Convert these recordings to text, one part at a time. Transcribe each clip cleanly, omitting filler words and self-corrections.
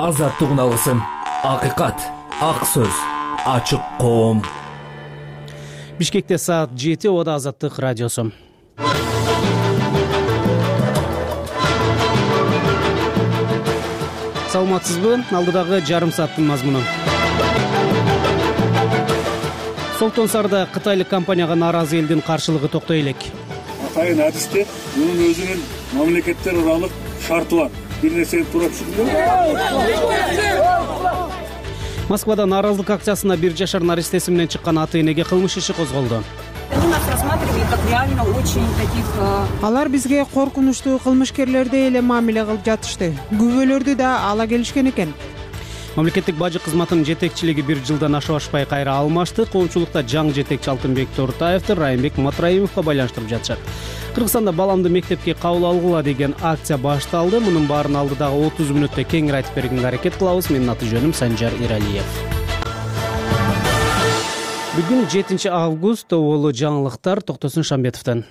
азаттык үналысын, акыйкат, ак сөз, ачык коом. Бишкекте саат 7, Ода Азаттык радиосу. Саламатсызбы? Алдыдагы жарым сааттын мазмуну. Солтон Сарда кытайлык компанияга нааразы элдин каршылыгы токтой элек. Атайын адисте мунун өзүнүн мамлекеттер аралык шарты бар. Бир нерсени туура түшүндүм. Москвада нааразылык акциясына 1 жашар наристеси менен чыккан ата-энеге кылмыш иши козголду. Алар бизге коркунучтуу кылмышкерлердей эле мамиле кылып жатышты. Күбөлөрдү да ала келишкен экен. Мамлекеттик бажы кызматынын жетекчилиги 1 жылдан ашпай кайра алмашты. Коомчулукта жаңы жетекчи Алтынбек Тортаевди Райымбек Матраимовго байланыштырып жатышат. Кыргызстанда баламды мектепке кабыл алгыла деген акция башталды. Мунун баарын алдыдагы 30 мүнөттө кеңири айтып бергенге аракет кылабыз. Менин аты жөнүм Санжар Иралиев. Бүгүн 7 август, болу жаңылыктар Токтосун Шамбетовдон.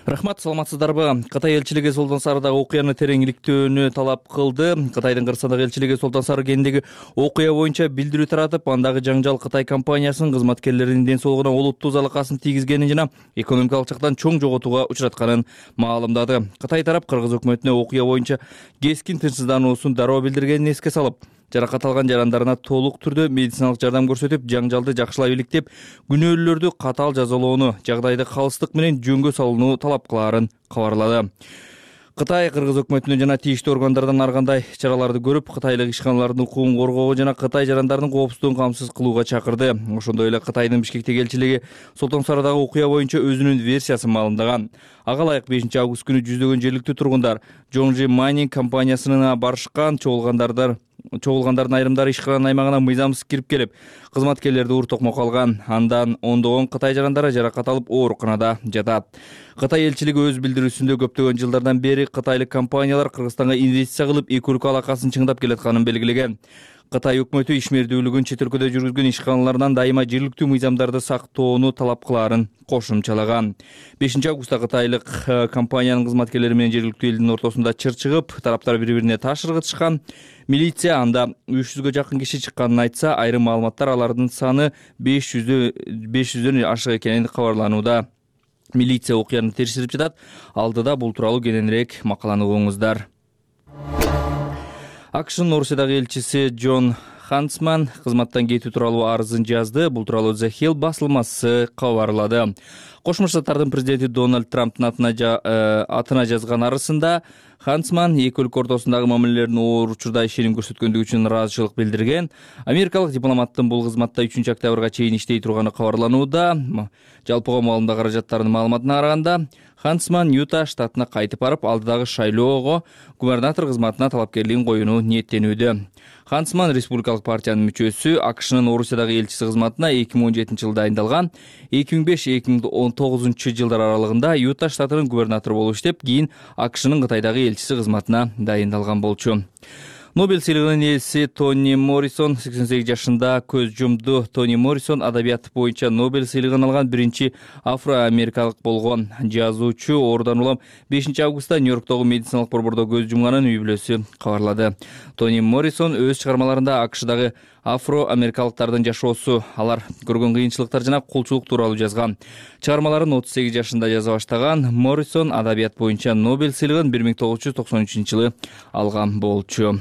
Рахмат, саламатсыздарбы? Кытай элчилиги Солтон Сардагы окуяны тереңиликтөөнү талап кылды. Кытайдын Кыргызстандагы элчилиги Солтон Сары кентиндеги окуя боюнча билдирүү таратып, андагы жаңжал Кытай компаниясынын кызматкерлеринин ден соолугуна олуттуу залакасын тийгизгенин жана экономикалык жактан чоң жоготууга учратканын маалымдады. Кытай тарап Кыргыз өкмөтүнө окуя боюнча кескин тынчсыздануусун дароо билдиргенин эске салып, жаракат алган жарандарына толук түрдө медициналык жардам көрсөтүп, жаңжалды жакшылай иликтеп, күнөөлүүлөрдү катаал жазалоону, жагдайды калыстык менен жөнгө салууну талап кылаарын кабарлады. Кытай Кыргыз өкмөтүнөн жана тийиштүү органдардан ар кандай чараларды көрүп, кытайлык ишканалардын укугун коргоого жана Кытай жарандарынын коопсуздугун камсыз кылууга чакырды. Ошондой эле Кытайдын Бишкектеги элчилиги Солтон Сардагы окуя боюнча өзүнүн версиясын маалымдаган. Ага ылайык 5 август күнү жүздөгөн жергиликтүү тургундар Жоңжи Майнинг компаниясына барышкан. Чогулгандардын айрымдары ишкананын аймагына мыйзамсыз кирип келип, кызматкерлерди уур токмок алган. Андан ондогон Кытай жарандары жаракат алып ооруканада жатат. Кытай элчилиги өз билдирүүсүндө көптөгөн жылдардан бери кытайлык компаниялар Кыргызстанга инвестиция кылып, эки өлкө алакасын чыңдап келатканын белгилеген. Кытай өкмөтү ишмердүүлүгүн чет өлкөдө жүргүзгөн ишканалардан дайыма жергиликтүү мыйзамдарды сактоону талап кылаарын кошумчалаган. 5 августта кытайлык компаниянын кызматкерлери менен жергиликтүү элдин ортосунда чыр чыгып, тараптар бири-бирине таш ыргытышкан. Милиция анда 300гө жакын киши чыкканын айтса, айрым маалыматтар алардын саны 500дөн ашык экенин кабарланууда. Милиция окуяны териштирип жатат. Алдыда бул тууралуу кененирээк макаланы угуңуздар. АКШнын Орусиядагы элчиси Джон Хансман кызматтан кетүү тууралуу арызын жазды. Бул тууралуу The Hill басылмасы кабарлады. Кошмо Штаттардын президенти Дональд Трамптын атына жазган арызында Хансман эки өлкө ортосундагы мамилелердин оор учурда ишеним көрсөткөндүгү үчүн ыраазычылык билдирген. Америкалык дипломаттын бул кызматта 3 октябрга чейин иштей турганы кабарланууда. Жалпыга маалымда каражаттарынын маалыматына караганда, Хансман Юта штатына кайтып барып, алдыдагы шайлоого губернатор кызматына талапкерлигин коюуну ниеттенүүдө. Хансман республикалык партиянын мүчөсү, АКШнын Орусиядагы элчиси кызматына 2017 жылда дайындалган. 2005-2019 жылдар аралыгында Юта штатынын губернатору болуп иштеп, кийин АКШнын Кытайдагы элчиси кызматына дайындалган болчу. Нобель сыйлыгынын ээси Тони Моррисон 88 жашында көз жумду. Тони Моррисон адабият боюнча Нобель сыйлыгын алган биринчи афро-америкалык болгон. Жазуучу оорудан улам 5 августта Нью-Йорктогу медициналык борбордо көз жумганын үй бүлөсү кабарлады. Тони Моррисон өз чыгармаларында АКШдагы афро-америкалыктардын жашоосу, алар көргөн кыйынчылыктар жана кулчулук тууралуу жазган. Чыгармаларын 38 жашында жаза баштаган Моррисон адабият боюнча Нобель сыйлыгын 1993 жылы алган болчу.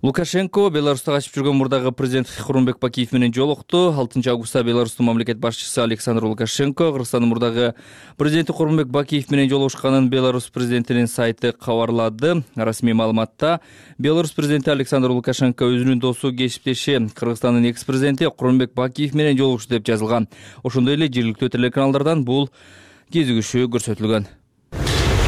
Лукашенко Беларусьта качып жүргөн мурдагы президент Курманбек Бакиев менен жолукту. 6 августта Беларустун мамлекет башчысы Александр Лукашенко Кыргызстандын мурдагы президенти Курманбек Бакиев менен жолугушканын Беларусь президентинин сайты кабарлады. Расмий маалыматта Беларусь президенти Александр Лукашенко өзүнүн досу, кесиптеши Кыргызстандын экс-президенти Курманбек Бакиев менен жолугушту деп жазылган. Ошондой эле жергиликтүү телеканалдардан бул кезигишүү көрсөтүлгөн.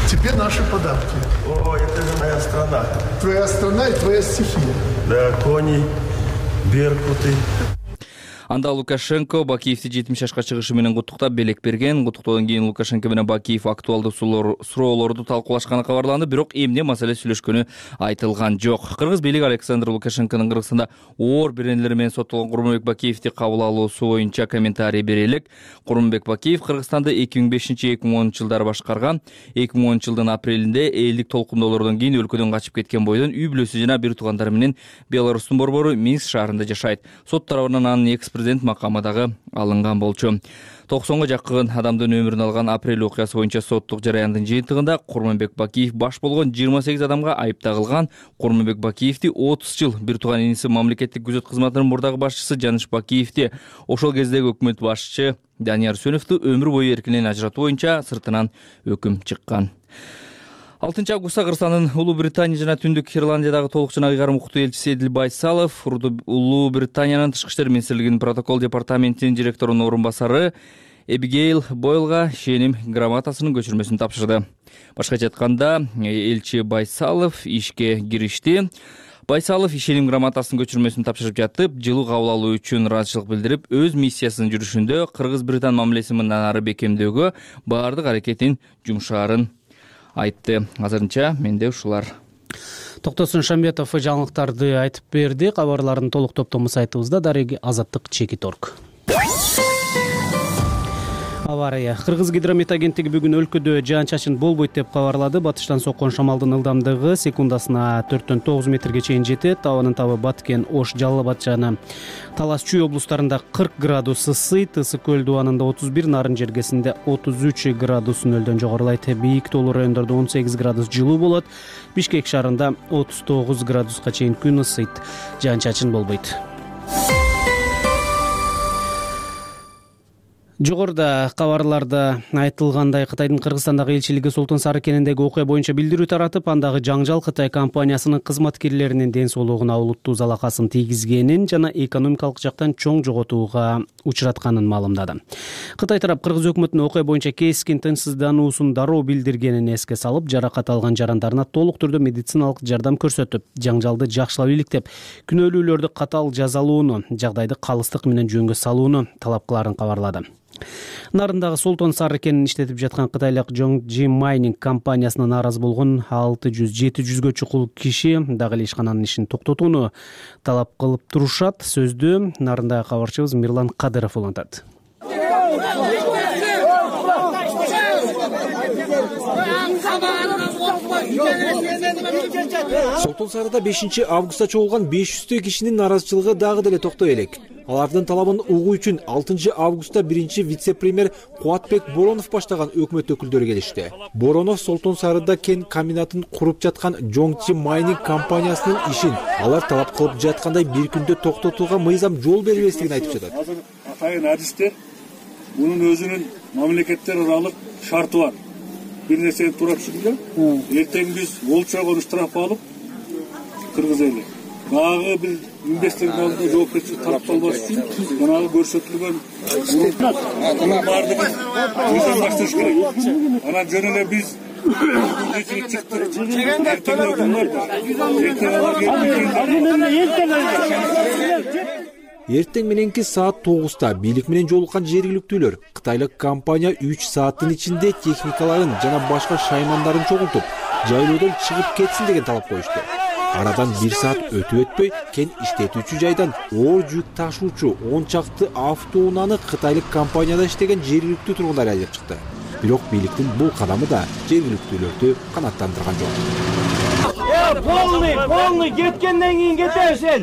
Теперь наши подарки. О, это же моя страна. Твоя страна и твоя стихия. Да, кони, беркуты. Анда Лукашенко Бакиевди 70 жашка чыгышы менен куттуктап белек берген. Куттуктоодон кийин Лукашенко менен Бакиев актуалдуу суроолорду талкуулашканы кабарланды, бирок эмне маселе сүйлөшкөнү айтылган жок. Кыргыз бийлиги Александр Лукашенконун Кыргызстанда оор беренелери менен соттолгон Курманбек Бакиевди кабыл алуусу боюнча комментарий бере элек. Курманбек Бакиев Кыргызстанды 2005-2010 жылдары башкарган. 2010 жылдын апрелинде элдик толкундоолордон кийин өлкөдөн качып кеткен бойдон үй бүлөсү жана бир туугандары менен Беларустун борбору Минск шаарында жашайт. Сот тарабынан анын экс-президент макамы дагы алынган болчу. 90га жакын адамдын өмүрүн алган апрель окуясы боюнча соттук жараяндын жыйынтыгында Курманбек Бакиев баш болгон 28 адамга айып тагылган. Курманбек Бакиевди 30 жыл бир тууган иниси мамлекеттик күзөт кызматынын мурдагы башчысы Жаныш Бакиевди ошол кездеги өкмөт башчы Данияр Сөнөвдү өмүр бою эркинен ажыратуу боюнча сыртынан өкүм чыккан. 6 августта Кыргызстандын Улуу Британия жана Түндүк Ирландиядагы толук жана ыйгарым укуктуу элчиси Эдил Байсалов Улуу Британиянын Тышкы иштер министрлигинин протокол департаментинин директорунун орун басары Эбигейл Бойлга ишеним грамотасынын көчүрмөсүн тапшырды. Башкача айтканда, элчи Байсалов ишке киришти. Байсалов ишеним грамотасынын көчүрмөсүн тапшырып жатып, жылуу кабыл алуу үчүн ыраазычылык билдирип, өз миссиясынын жүрүшүндө Кыргыз-Британ мамилесин мындан ары бекемдөөгө баардык аракетин жумшаарын айтты. Азырынча менде ушулар. Токтосун Шамбетов жаңылыктарды айтып берди. Кабарлардын толук топтому сайтыбызда дареги Азаттык.org. Авария. Кыргыз гидромет агенттиги бүгүн өлкөдө жаан-чачын болбойт деп кабарлады. Батыштан соккон шамалдын ылдамдыгы секундасына 4-9 метрге чейин жетет. Абанын табы Баткен, Ош, Жалал Абад жана Талас Чүй облустарында 40 градус ысый, Тысык көл дубанында 31, Нарын жергесинде 33 градус нөлдөн жогорулайт. Бийик тоолуу райондордо 18 градус жылуу болот. Бишкек шаарында 39 градуска чейин күн ысыйт. Жаан-чачын болбойт. Жогоруда кабарларда айтылгандай, Кытайдын Кыргызстандагы элчилиги Султан Сары кенендеги окуя боюнча билдирүү таратып, андагы жаңжал Кытай компаниясынын кызматкерлеринин ден соолугуна олуттуу залакасын тийгизгенин жана экономикалык жактан чоң жоготууга учуратканын маалымдады. Кытай тарап Кыргыз өкмөтүнүн окуя боюнча кескин тынчсыздануусун дароо билдиргенин эске салып, жаракат алган жарандарына толук түрдө медициналык жардам көрсөтүп, жаңжалды жакшылап иликтеп, күнөөлүүлөрдү катаал жазалууну, жагдайды калыстык менен жөнгө салууну талап кылаарын кабарлады. Нарындагы Султан Сары кенин иштетип жаткан кытайлык Жоңжи майнинг компаниясына нааразы болгон 600-700гө чукул киши дагы эле ишкананын ишин токтотууну талап кылып турушат. Сөздү Нарындагы кабарчыбыз Мирлан Кадыров улантат. Султан Сарыда 5 августта чогулган 500 кишинин наразычылыгы дагы деле токтой элек. Алардын талабын угуу үчүн 6 августта 1 вице-премьер Кубатбек Боронов баштаган өкмөт өкүлдөрү келишти. Боронов Султан Сарыда кен комбинатын куруп жаткан Жоңжи майнинг компаниясынын ишин алар талап кылып жаткандай бир күндө токтотууга мыйзам жол бербестигин айтып жатат. Азыр атайын адистер мунун өзүнүн мамлекеттер аралык шарты бар. Бир нерсени туура түшүнгүлө. Эртең биз болчогон штраф алып Кыргыз эли дагы бир инвестордун алдында жоопкерчилик тарапталбаш үчүн жанагы көрсөтүлгөн мунун баардыгын мыйзам башташ керек. Анан жөн эле биз Эртең мененки саат 9-та бийлик менен жолуккан жергиликтүүлөр кытайлык компания 3 сааттын ичинде техникаларын жана башка шаймандарын чогултуп, жайлоодон чыгып кетсин деген талап коюшту. Арадан 1 саат өтүп-өтпөй кен иштетүүчү жайдан оор жүк ташуучу 10 чакты автоунааны кытайлык компанияда иштеген жергиликтүү тургундар айдап чыкты. Бирок бийликтин бул кадамы да жергиликтүүлөрдү канааттандырган жок. Полный кеткенден кийин кетесиң.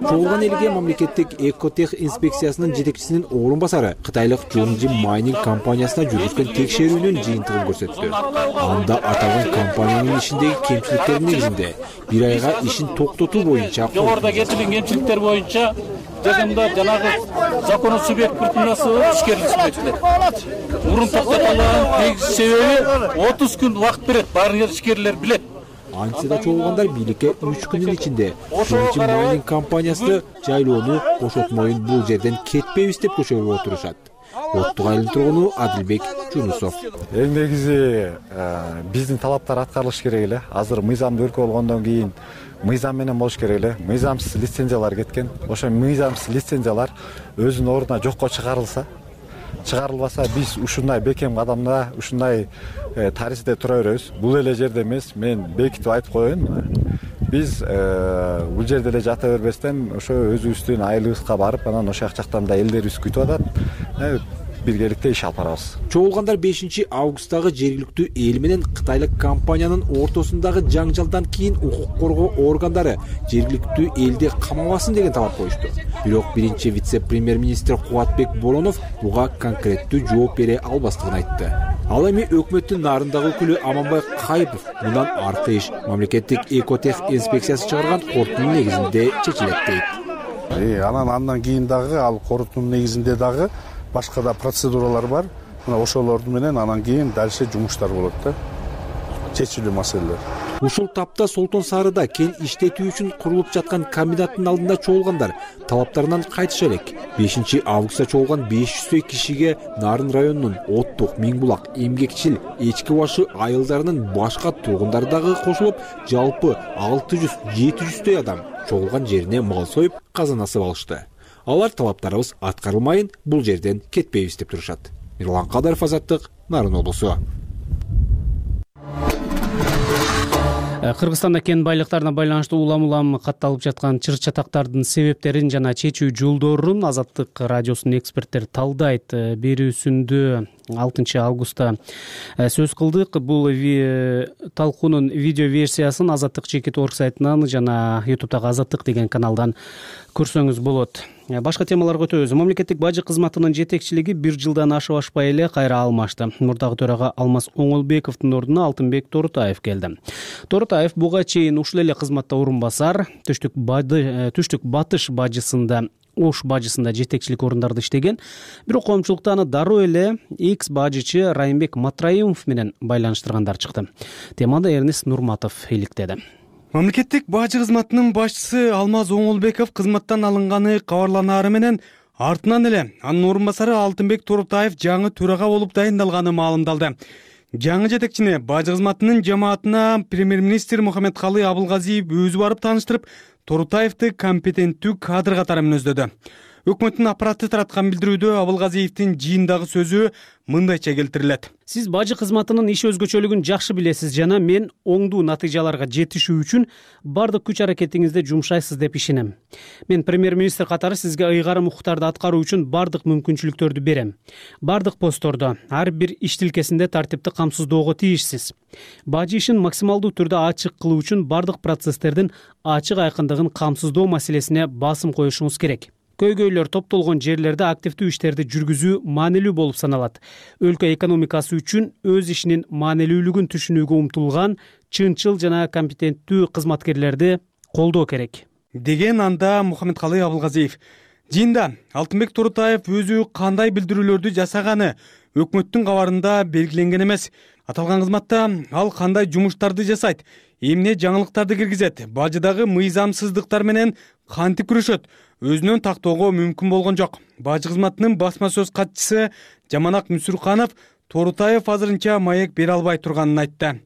Чогулган элге мамлекеттик экотех инспекциясынын жетекчисинин орун басары кытайлык Жоңжи майнинг компаниясына жүргүзгөн текшерүүнүн жыйынтыгын көрсөттү. Анда аталган компаниянын ишиндеги кемчиликтер негизинде 1 айга ишин токтотуу боюнча жогоруда кетилген кемчиликтер боюнча жакында жанагы закону субъект кыртмасы ишкерлик субъектилер. Мурун токтотулган негизи себеби 30 күн убакыт берет, баарын ишкерлер билет. антса да чогулгандар бийликке 3 күндүн ичинде Чоңчи майнинг компаниясы жайлоону бошотмоюн, бул жерден кетпейбиз деп көчөгө отурушат. Оттук айылдын тургуну Адилбек Жунусов. Эң негизи биздин талаптар аткарылыш керек эле. Азыр мыйзамдуу өлкө болгондон кийин мыйзам менен болуш керек эле. Мыйзамсыз лицензиялар кеткен. Ошо мыйзамсыз лицензиялар өзүнүн ордуна жокко чыгарылбаса, биз ушундай бекем кадамда, ушундай тарихте тура беребиз. Бул эле жерде эмес, мен бекитип айтып коеюн. Биз бул жерде эле жата бербестен ошо өзүбүздүн айылыбызга барып, анан ошол жактан да элдерибиз күтүп атат. Биргеликте иш алып барабыз. Чогулгандар 5 августтагы жергиликтүү эл менен кытайлык компаниянын ортосундагы жаңжалдан кийин укук коргоо органдары жергиликтүү элди камабасын деген талап коюшту. Бирок биринчи вице-премьер-министр Кубатбек Болонов буга конкреттүү жооп бере албастыгын айтты. Ал эми өкмөттүн нарындагы өкүлү Аманбай Кайыпов мындан аркы иш мамлекеттик экотех инспекциясы чыгарган корутундун негизинде чечилет дейт. Андан кийин дагы ал корутундун негизинде дагы башка да процедуралар бар. Мына ошолорду менен анан кийин дальше жумуштар болот да. Чечилүү маселелер. Ушул тапта Солтон Сарыда кен иштетүү үчүн курулуп жаткан комбинаттын алдында чогулгандар талаптарынан кайтыша элек. 5 августта чогулган 500 кишиге Нарын районунун Оттук, Миңбулак, Эмгекчил, Эчки башы айылдарынын башка тургундары дагы кошулуп, жалпы 600-700 адам чогулган жерине мал союп, казан асып алышты. Алар талаптарыбыз аткарылмайын, бул жерден кетпейбиз деп турушат. Мирлан Кадаров, Азаттык, Нарын облусу. Кыргызстанда кен байлыктарына байланыштуу улам катталып жаткан чыр-чатактардын себептерин жана чечүү жолдорун Азаттык радиосунун эксперттери талдайт. Берүүсүндө 6 августта сөз кылдык. Бул талкуунун видео версиясын Азаттык Чекит.org сайтынан жана YouTube'дагы Азаттык деген каналдан көрсөңүз болот. Башка темаларга өтөбүз. Мамлекеттик бажы кызматынын жетекчилиги 1 жылдан ашпай эле кайра алмашты. Мурдагы төрага Алмаз Оңолбековдун ордуна Алтынбек Торутаев келди. Торутаев буга чейин ушул эле кызматта орун басар, түштүк батыш бажысында, Ош бажысында жетекчилик орундарды иштеген. Бирок коомчулукта аны дароо эле экс бажычы Райымбек Матраимов менен байланыштыргандар чыкты. Темада Эрнест Нурматов иликтеди. Мамлекеттик бажы кызматынын башчысы Алмаз Оңолбеков кызматтан алынганы кабарланаары менен артынан эле анын орун басары Алтынбек Торутаев жаңы төрага болуп дайындалганы маалымдалды. Жаңы жетекчини бажы кызматынын жамаатына премьер-министр Мухаммедкалый Абылгазиев өзү барып тааныштырып, Торутаевди компетенттүү кадр катары мүнөздөдү. Өкмөттүн аппараты тараткан билдирүүдө Абылгазиевдин жыйындагы сөзү мындайча келтирилет. Сиз бажы кызматынын иш өзгөчөлүгүн жакшы билесиз жана мен оңдуу натыйжаларга жетишүү үчүн бардык күч аракетиңизди жумшайсыз деп ишенем. Мен премьер-министр катары сизге ыйгарым укуктарды аткаруу үчүн бардык мүмкүнчүлүктөрдү берем. Бардык постордо, ар бир иш тилкесинде тартипти камсыздоого тийишсиз. Бажы ишин максималдуу түрдө ачык кылуу үчүн бардык процесстердин ачык айкындыгын камсыздоо маселесине басым коюшуңуз керек. Көйгөйлөр топтолгон жерлерде активдүү иштерди жүргүзүү маанилүү болуп саналат. Өлкө экономикасы үчүн өз ишинин маанилүүлүгүн түшүнүүгө умтулган чынчыл жана компетенттүү кызматкерлерди колдоо керек, деген анда Мухаммедкалый Абылгазиев. Жыйында Алтынбек Торутаев өзү кандай билдирүүлөрдү жасаганы өкмөттүн кабарында белгиленген эмес. Аталган кызматта ал кандай жумуштарды жасайт, эмне жаңылыктарды киргизет, бажыдагы мыйзамсыздыктар менен кантип күрөшөт, өзүнөн тактоого мүмкүн болгон жок. Бажы кызматынын басма сөз катчысы Жаманак Мүсүрканов Торутаев азырынча маек бере албай турганын айтты.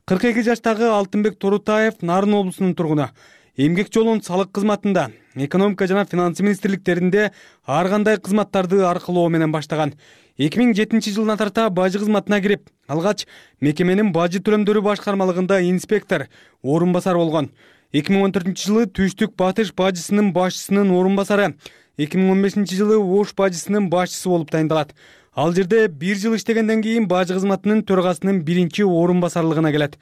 42 жаштагы Алтынбек Торутаев Нарын облусунун тургуну. Эмгек жолун салык кызматында, экономика жана финансы министрликтеринде ар кандай кызматтарды аркылоо менен баштаган. 2007 жылдан тарта бажы кызматына кирип, алгач мекеменин бажы төлөмдөрү башкармалыгында инспектор, орун басар болгон. 2014 жылы Түштүк Батыш бажысынын башчысынын орун басары, 2015 жылы Ош бажысынын башчысы болуп дайындалат. Ал жерде 1 жыл иштегенден кийин бажы кызматынын төрагасынын биринчи орун басарлыгына келет.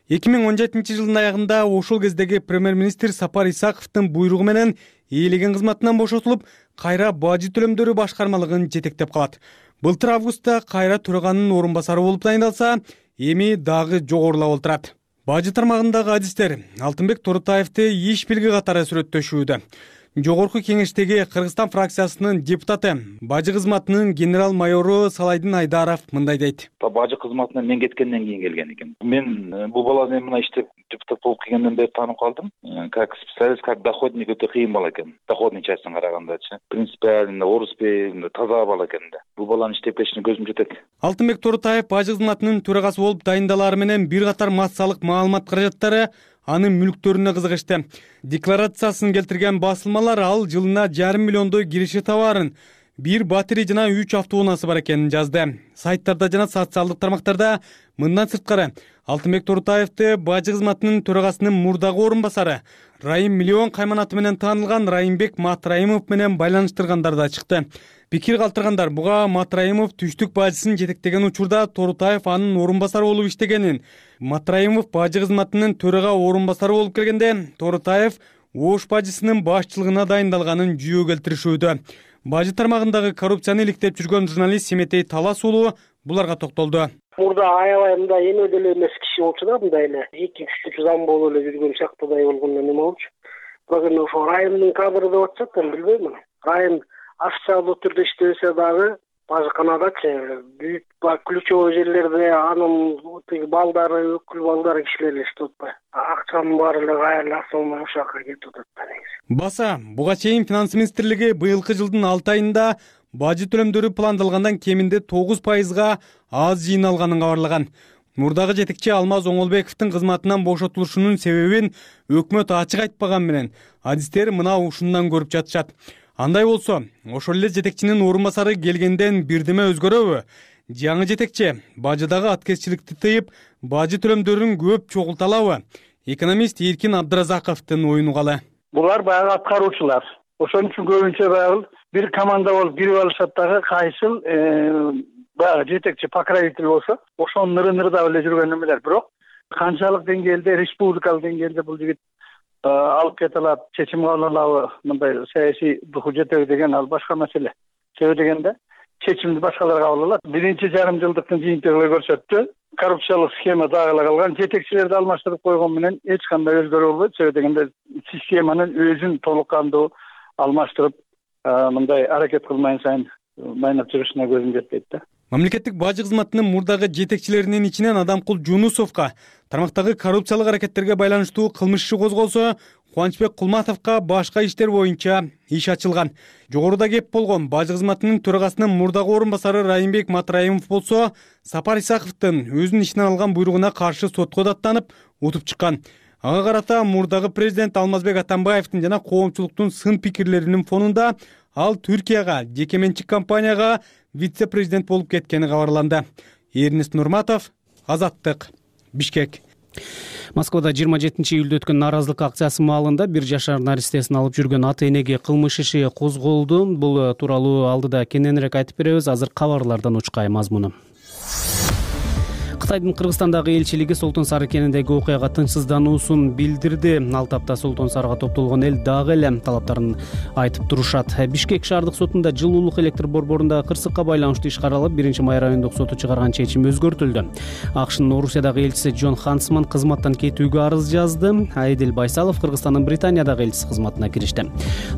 2017 жылдын аягында ошол кездеги премьер-министр Сапар Исаковдун буйругу менен ээлеген кызматынан бошотулуп, кайра бажы төлөмдөрү башкармалыгын жетектеп калат. Былтыр августта кайра төраганын орун басары болуп дайындалса, эми дагы жогорулап олтурат. Бажы тармагындагы адистер Алтынбек Торутаевди иш билги катары сүрөттөшүүдө. Жогорку кеңештеги Кыргызстан фракциясынын депутаты, бажы кызматынын генерал майору Салайдын Айдаров мындай дейт. Бажы кызматына мен кеткенден кийин келген экен. Мен бул баланы мына иштеп депутат болуп келгенден бери таанып калдым. Как специалист, как доходник өтө кыйын бала экен. Доходный частына карагандачы. Принципиально, оруспей, таза бала экен да. Бул баланын иштеп кетишине көзүм жетет. Алтынбек Торутаев бажы кызматынын төрагасы болуп дайындалары менен бир катар массалык маалымат каражаттары анын мүлктөрүнө кызыгышты. Декларациясын келтирген басылмалар ал жылына 1,5 миллиондой кириши товарын, 1 батарея жана 3 автоунаасы бар экенин жазды. Сайттарда жана социалдык тармактарда мындан сырткары Алтынбек Торутаевди бажы кызматынын төрагасынын мурдагы орун басары Райым Миллион кайманаты менен таанылган Райымбек Матраимов менен байланыштыргандар да чыкты. Пикир калтыргандар буга Матраимов түштүк бажысын жетектеген учурда Торутаев анын орун басары болуп иштегенин, Матраимов бажы кызматынын төрага орун басары болуп келгенде Торутаев Ош бажысынын башчылыгына дайындалганын жүйө келтиришүүдө. Бажы тармагындагы коррупцияны иликтеп жүргөн журналист Семетей Талас уулу буларга токтолду. Мурда аябай мындай эме деле эмес киши болчу да, мындай эле 2-3 зам болуп эле жүргөн сыяктуудай болгондо неме болчу. Бирок эми ошо Райымдын кадры деп атышат, мен билбейм. Райым официалдуу түрдө иштесе дагы бажыканадачы бүт ключевой жерлерде анын балдары, өкүл балдары кишилер эле иштеп атпайбы. Акчанын баары эле кайра акчалмай ошол жака кетип атат да негизи. Баса, буга чейин Финанс министрлиги быйылкы жылдын 6 айында бажы төлөмдөрү пландалгандан кеминде 9%га аз жыйналганын кабарлаган. Мурдагы жетекчи Алмаз Оңолбековдун кызматынан бошотулушунун себебин өкмөт ачык айтпаган менен адистер мына ушундан көрүп жатышат. Андай болсо, ошол эле жетекчинин орун басары келгенден бирдеме өзгөрөбү? Жаңы жетекчи бажыдагы аткезчиликти тыйып, бажы төлөмдөрүн көп чогулталабы? Экономист Эркин Абдыразаковдун оюн угалы. Булар баягы аткаруучулар. Ошон үчүн көбүнчө баягы бир команда болуп кирип алышат дагы, кайсыл баягы жетекчи покровитель болсо, ошонун ныры-нырыдап эле жүргөн эмелер. Бирок канчалык деңгээлде, республикалык деңгээлде бул жигит алып кете алат, чечим кабыл алабы, мындай саясий духу жетеби деген ал башка маселе. Себеби дегенде чечимди башкалар кабыл алат. 1,5 жылдыктын жыйынтыгы көрсөттү. Коррупциялык схема дагы калган, жетекчилерди алмаштырып койгон менен эч кандай өзгөрүү болбойт. Себеби дегенде системанын өзүн толук кандуу алмаштырып мындай аракет кылмайын сайын майнап жүрүшүнө көзүм жетпейт да. Мамлекеттик бажы кызматынын мурдагы жетекчилеринин ичинен Адамкул Жунусовго тармактагы коррупциялык аракеттерге байланыштуу кылмыш иши козголсо, Кубанычбек Кулматовго башка иштер боюнча иш ачылган. Жогоруда кеп болгон бажы кызматынын төрагасынын мурдагы орун басары Райымбек Матраимов болсо, Сапар Исаковдун өзүнүн ишинен алган буйругуна каршы сотко даттанып, утуп чыккан. Ага карата мурдагы президент Алмазбек Атамбаевдин жана коомчулуктун сын пикирлеринин фонунда ал Түркияга, жеке менчик компанияга вице-президент болуп кеткени кабарланды. Эрнест Нурматов, Азаттык, Бишкек. Москвада 27-июлда өткөн нааразылык акциясы маалында 1 жашар наристесин алып жүргөн ата-энеге кылмыш иши козголду. Бул тууралуу алдыда кененирээк айтып беребиз. Азыр кабарлардан учкай мазмуну. Кытайдын Кыргызстандагы элчилиги Солтон Сары кениндеги окуяга тынчсыздануусун билдирди. Ал тапта Солтон Сарыга топтолгон эл дагы эле талаптарын айтып турушат. Бишкек шаардык сотунда жылуулук электр борборундагы кырсыкка байланыштуу иш каралып, 1-май райондук соту чыгарган чечим өзгөртүлдү. АКШнын Орусиядагы элчиси Джон Хансман кызматтан кетүүгө арыз жазды. Айдил Байсалов Кыргызстандын Британиядагы элчиси кызматына киришти.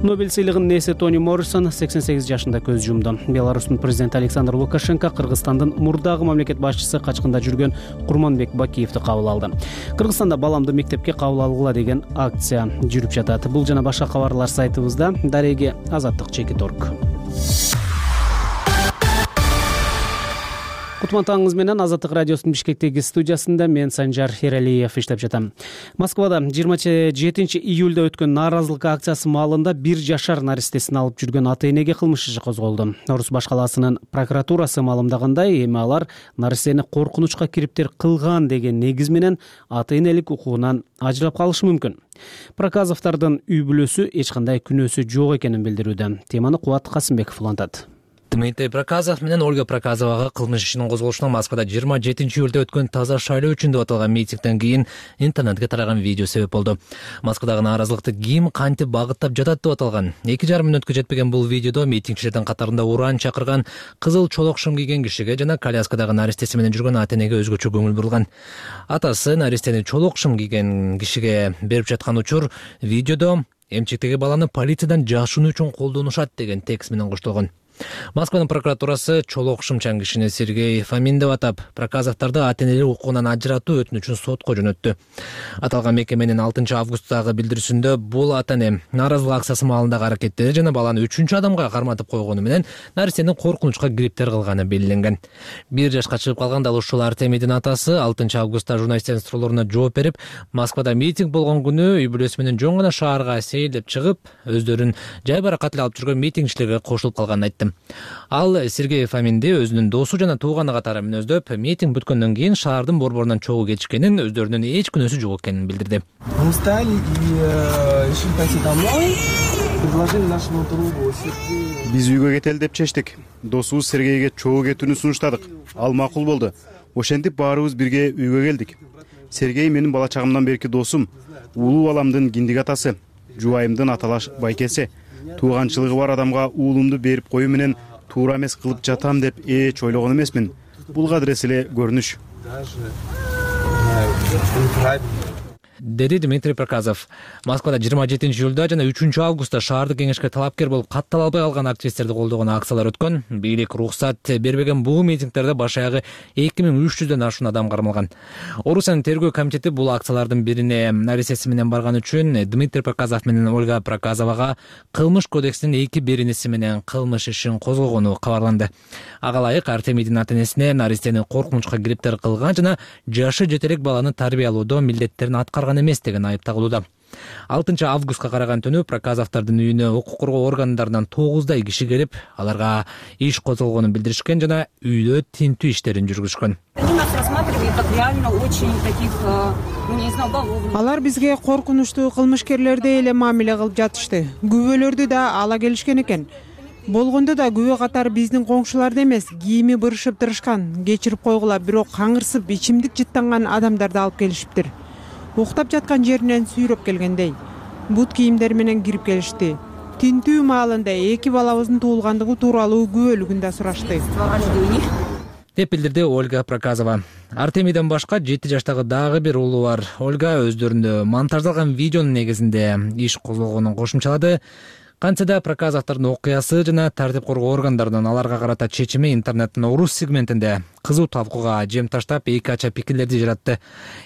Нобель сыйлыгынын ээси Тони Моррисон 88 жашында көз жумду. Беларустун президенти Александр Лукашенко Кыргызстандын мурдагы мамлекет башчысы качкында жүргөн Курманбек Бакиевди кабыл алды. Кыргызстанда баламды мектепке кабыл алгыла деген акция жүрүп жатат. Бул жана башка кабарлар сайтыбызда. Дареги Азаттык Чекиторг. Кутман таңыңыз менен Азаттык радиосунун Бишкектеги студиясында мен Санжар Эралиев иштеп жатам. Москвада 27-июлда өткөн нааразылык акциясы маалында 1 жашар наристесин алып жүргөн ата-энеге кылмыш иши козголду. Орус баш калаасынын прокуратурасы маалымдагандай, эми алар наристени коркунучка кириптер кылган деген негиз менен ата-энелик укугунан ажырап калышы мүмкүн. Проказовдордун үй бүлөсү эч кандай күнөөсү жок экенин билдирүүдө. Теманы Кубат Касымбеков улантат. Дмитрий Проказов менен Ольга Проказовага кылмыш ишинин козголушуна Москвада 27-июлда өткөн таза шайлоо үчүн деп аталган митингден кийин интернетке тараган видео себеп болду. Москвадагы нааразылыкты ким кантип багыттап жатат деп аталган. 2,5 мүнөткө жетпеген бул видеодо митингчилердин катарында уран чакырган, кызыл чолок шым кийген кишиге жана коляскадагы наристеси менен жүргөн ата-энеге өзгөчө көңүл бурулган. Атасы наристени чолок шым кийген кишиге берип жаткан учур видеодо эмчектеги баланы полициядан жашынуу үчүн колдонушат деген текст менен коштолгон. Москванын прокуратурасы чолок шымчаң кишини Сергей Фомин деп атап, Проказовдорду ата-энелик укугунан ажыратуу өтүнүчүн сотко жөнөттү. Аталган мекеменин 6 августтагы билдирүүсүндө бул ата-эне нааразылык акциясы маалындагы аракеттери жана баланы 3 адамга карматып койгону менен наристенин коркунучка кириптер кылганы белгиленген. 1 жашка чыгып калган дал ушул Артемийдин атасы 6 августта журналисттердин суроолоруна жооп берип, Москвада митинг болгон күнү үй бүлөсү менен жөн гана шаарга сейилдеп чыгып, өздөрүн жайбаракат эле алып жүргөн митингчилерге кошулуп калганын айтты. Ал Сергей Фоминди өзүнүн досу жана тууганы катары мүнөздөп, митинг бүткөндөн кийин шаардын борборунан чогуу кетишкенин, өздөрүнүн эч күнөөсү жок экенин билдирди. Мы устали и решили пойти домой. Предложили нашему другу Сергею. Биз үйгө кетели деп чечтик. Досубуз Сергейге чогуу кетүүнү сунуштадык. Ал макул болду. Ошентип баарыбыз бирге үйгө келдик. Сергей менин бала чагымдан берки досум, улуу баламдын киндик атасы, жубайымдын аталаш байкеси. Тууганчылыгы бар адамга уулумду берип коюу менен туура эмес кылып жатам деп эч ойлогон эмесмин. Бул кадырес эле көрүнүш. Деди Дмитрий Проказов. Москвада 27 июлда жана 3 августта шаардык кеңешке талапкер болуп каттала албай калган активисттерди колдогон акциялар өткөн. Бийлик уруксат бербеген бул митингдерде баш аягы 2300дөн ашуун адам кармалган. Орусиянын тергөө комитети бул акциялардын бирине наристеси менен барган үчүн Дмитрий Проказов менен Ольга Проказовага кылмыш кодексинин 2 беренеси менен кылмыш ишин козгогону кабарланды. Ага ылайык Артемийдин ата-энесине наристени коркунучка кириптер кылган жана жашы жете элек баланы тарбиялоодо милдеттерин аткарган эмес деген айып тагылууда. 6 августка караган түнү Проказовдордун үйүнө укук коргоо органдарынан 9дай киши келип, аларга иш козголгонун билдиришкен жана үйдө тинтүү иштерин жүргүзүшкөн. Алар бизге коркунучтуу кылмышкерлердей эле мамиле кылып жатышты. Күбөлөрдү да ала келишкен экен. Болгондо да күбө катары биздин коңшуларды эмес, кийими бырышып тырышкан, кечирип койгула, бирок каңырсып ичимдик жыттанган адамдарды алып келишиптир. Уктап жаткан жеринен сүйрөп келгендей. Бут кийимдер менен кирип келишти. Тинтүү маалында 2 балабыздын туулгандыгы тууралуу күбөлүгүн да сурашты. Деп билдирди Ольга Проказова. Артемийден башка 7 жаштагы дагы бир уулу бар. Ольга өздөрүндө монтаждалган видеонун негизинде иш козголгонун кошумчалады. Кантсе да Проказовдордун окуясы жана тартип коргоо органдарынын аларга карата чечими интернеттин орус сегментинде кызуу талкууга жем таштап, эки ача пикирлерди жаратты.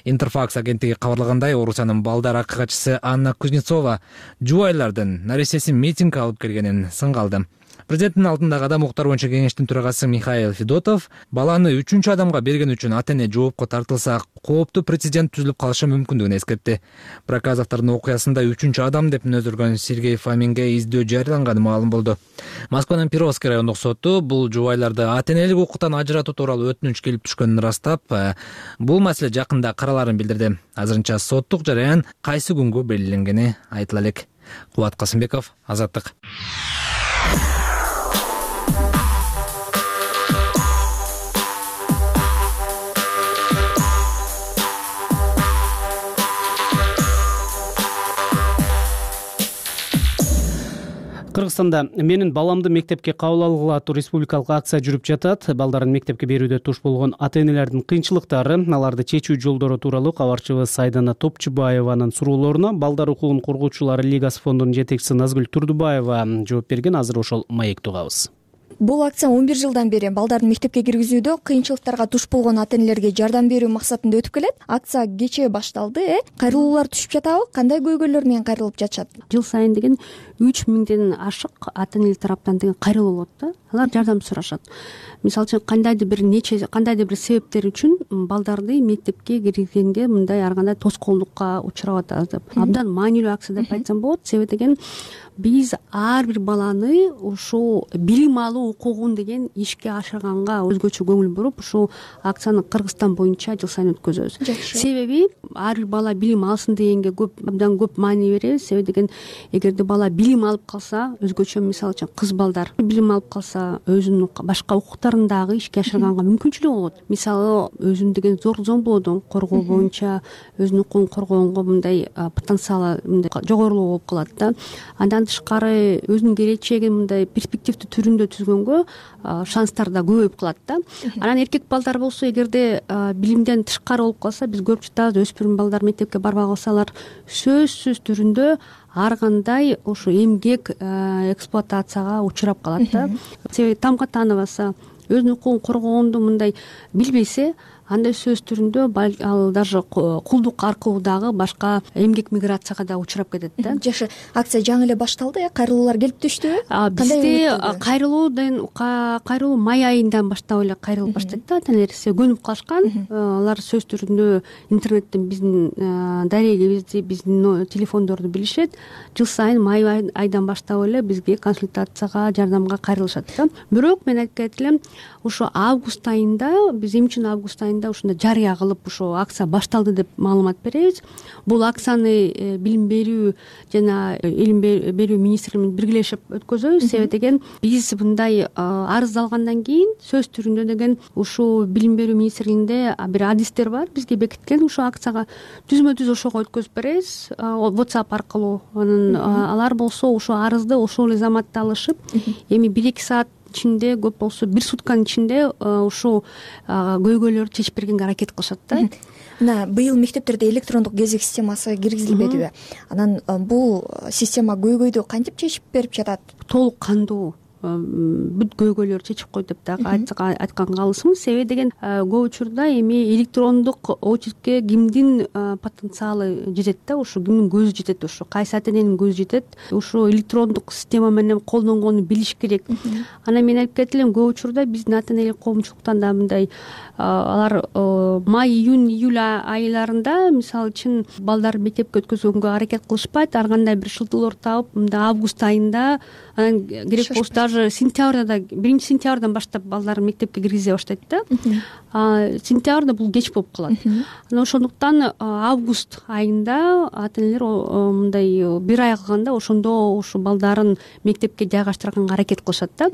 Интерфакс агенттиги кабарлагандай, Орусиянын балдар акыгачысы Анна Кузнецова жубайлардын наристесин митинг алып келгенин сынга алды. Президенттин алдындагы адам укуктары боюнча кеңештин төрагасы Михаил Федотов баланы 3 адамга берген үчүн ата-эне жоопко тартылса, кооптуу прецедент түзүлүп калышы мүмкүндүгүн эскертти. Проказовдордун окуясында 3 адам деп мүнөздөлгөн Сергей Фоминге издөө жарыяланганы маалым болду. Москванын Перовский райондук соту бул жубайларды ата-энелик укуктан ажыратуу тууралуу өтүнүч келип түшкөнүн ырастап, бул маселе жакында караларын билдирди. Азырынча соттук жараян кайсы күнгө белгиленгени айтыла элек. Кубат Касымбеков, Азаттык. Кыргызстанда менин баламды мектепке кабыл алгыла аттуу республикалык акция жүрүп жатат. Балдарын мектепке берүүдө туш болгон ата-энелердин кыйынчылыктары, аларды чечүү жолдору тууралуу кабарчыбыз Сайдана Топчубаеванын суроолоруна Балдар укугун коргоочулар лигасы фондунун жетекчиси Назгүл Турдубаева жооп берген. Азыр ошол маекти угабыз. Бул акция 11 жылдан бери балдарын мектепке киргизүүдө кыйынчылыктарга туш болгон ата-энелерге жардам берүү максатында өтүп келет. Акция кечээ башталды. Кайрылуулар түшүп жатабы? Кандай көйгөйлөр менен кайрылып жатышат? Жыл сайын деген 3000ден ашык ата-энелер тараптан деген кайрылуу болот да. Алар жардам сурашат. Мисалы үчүн кандайдыр бир себептер үчүн балдарды мектепке киргизгенге мындай ар кандай тоскоолдукка учурап атабыз деп. Абдан маанилүү акция деп айтсам болот. Себеби деген биз ар бир баланы ушул билим алуу укугун деген ишке ашырганга өзгөчө көңүл буруп, ушул акцияны Кыргызстан боюнча жыл сайын өткөзөбүз. Себеби ар бир бала билим алсын дегенге абдан көп маани беребиз. Себеби деген эгерде бала билим алып калса, өзгөчө мисалы үчүн кыз балдар билим алып калса, өзүнүн башка укуктарын дагы ишке ашырганга мүмкүнчүлүгү болот. Мисалы өзүн деген зор зомбулоодон коргоо боюнча өзүнүн укугун коргогонго мындай потенциалы мындай жогорулуу болуп калат да. Андан тышкары өзүнүн келечегин мындай перспективдүү түрүндө түзгөнгө шанстар да көбөйүп калат да. Анан эркек балдар болсо, эгерде билимден тышкары болуп калса, биз көрүп жатабыз, өспүрүм балдар мектепке барбай калсалар сөзсүз түрүндө ар кандай ушу эмгек эксплуатацияга учурап калат да. Себеби тамга тааныбаса, өзүнүн укугун коргоонду мындай билбесе, андай сөз түрүндө ал даже кулдук аркылуу дагы башка эмгек миграцияга да учурап кетет да. Жакшы, акция жаңы эле башталды, кайрылуулар келип түштүбү? Бизде кайрылуу май айынан баштап эле кайрылып баштайт да, ата-энелер көнүп калышкан. Алар сөз түрүндө интернеттен биздин дарегибизди, биздин телефондорду билишет. Жыл сайын май айдан баштап эле бизге консультацияга, жардамга кайрылышат да. Бирок мен айткан элем, ошо август айында, биз эмне үчүн август айында ушундай жарыя кылып ошо акция башталды деп маалымат беребиз. Бул акцияны билим берүү жана илим берүү министрлиги менен биргелешип өткөзөбүз. Себеби деген биз мындай арыз алгандан кийин сөз түрүндө деген ушул билим берүү министрлигинде бир адистер бар, бизге бекиткен ушул акцияга түзмө-түз ошого өткөзүп беребиз WhatsApp аркылуу. Анан алар болсо ушул арызды ошол эле заматта алышып, эми 1-2 саат ичинде, көп болсо 1 сутканын ичинде ушул көйгөйлөрдү чечип бергенге аракет кылышат да. Мына быйыл мектептерде электрондук кезек системасы киргизилбедиби? Анан бул система көйгөйдү кантип чечип берип жатат? Толук кандуу бүт көйгөйлөрдү чечип койду деп дагы айтканга калысмыз. Себеби деген көп учурда эми электрондук очередке кимдин потенциалы жетет да, ушу кимдин көзү жетет, ушу кайсы ата-эненин көзү жетет, ушу электрондук система менен колдонгонду билиш керек. Анан мен айтып кетем, көп учурда биздин ата-энелик коомчулуктан да мындай алар май, июнь, июль айларында мисалы үчүн балдарды мектепке өткөзгөнгө аракет кылышпайт, ар кандай бир шылтоолор таап, мындай август айында, анан керек болсо даже сентябрда, 1-сентябрдан баштап балдарды мектепке киргизе баштайт да. Сентябрда бул кеч болуп калат. Анан ошондуктан август айында ата-энелер мындай бир ай калганда ошондо ушу балдарын мектепке жайгаштырганга аракет кылышат да.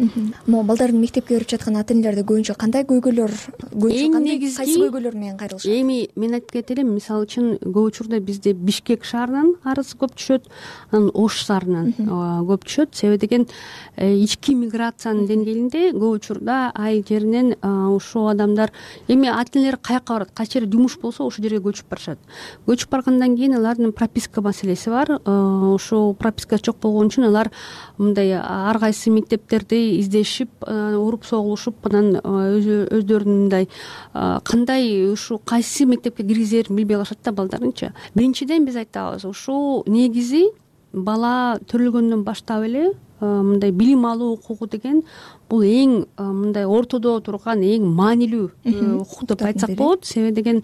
Могу балдарын мектепке берип жаткан ата-энелерде көбүнчө кандай көйгөйлөр, кайсы көйгөйлөр менен кайрылышат? Эми мен айтып кетелим, мисалы үчүн көп учурда бизде Бишкек шаарынан арыз көп түшөт, анан Ош шаарынан көп түшөт. Себеби деген ички миграциянын деңгээлинде көп учурда айыл жеринен ушул адамдар эми ата-энелер каяка барат, кайсы жерде жумуш болсо ошол жерге көчүп барышат. Көчүп баргандан кийин алардын прописка маселеси бар. Ошол прописка жок болгон үчүн алар мындай ар кайсы мектептерди издешип, уруп согулушуп, анан өздөрүнүн мындай кандай ушул кайсы мектепке киргизерин билбей калышат да балдарынчы. Биринчиден биз айтабыз, ушул негизи бала төрөлгөндөн баштап эле мындай билим алуу укугу деген бул эң мындай ортодо турган эң маанилүү укук деп айтсак болот. Себеби деген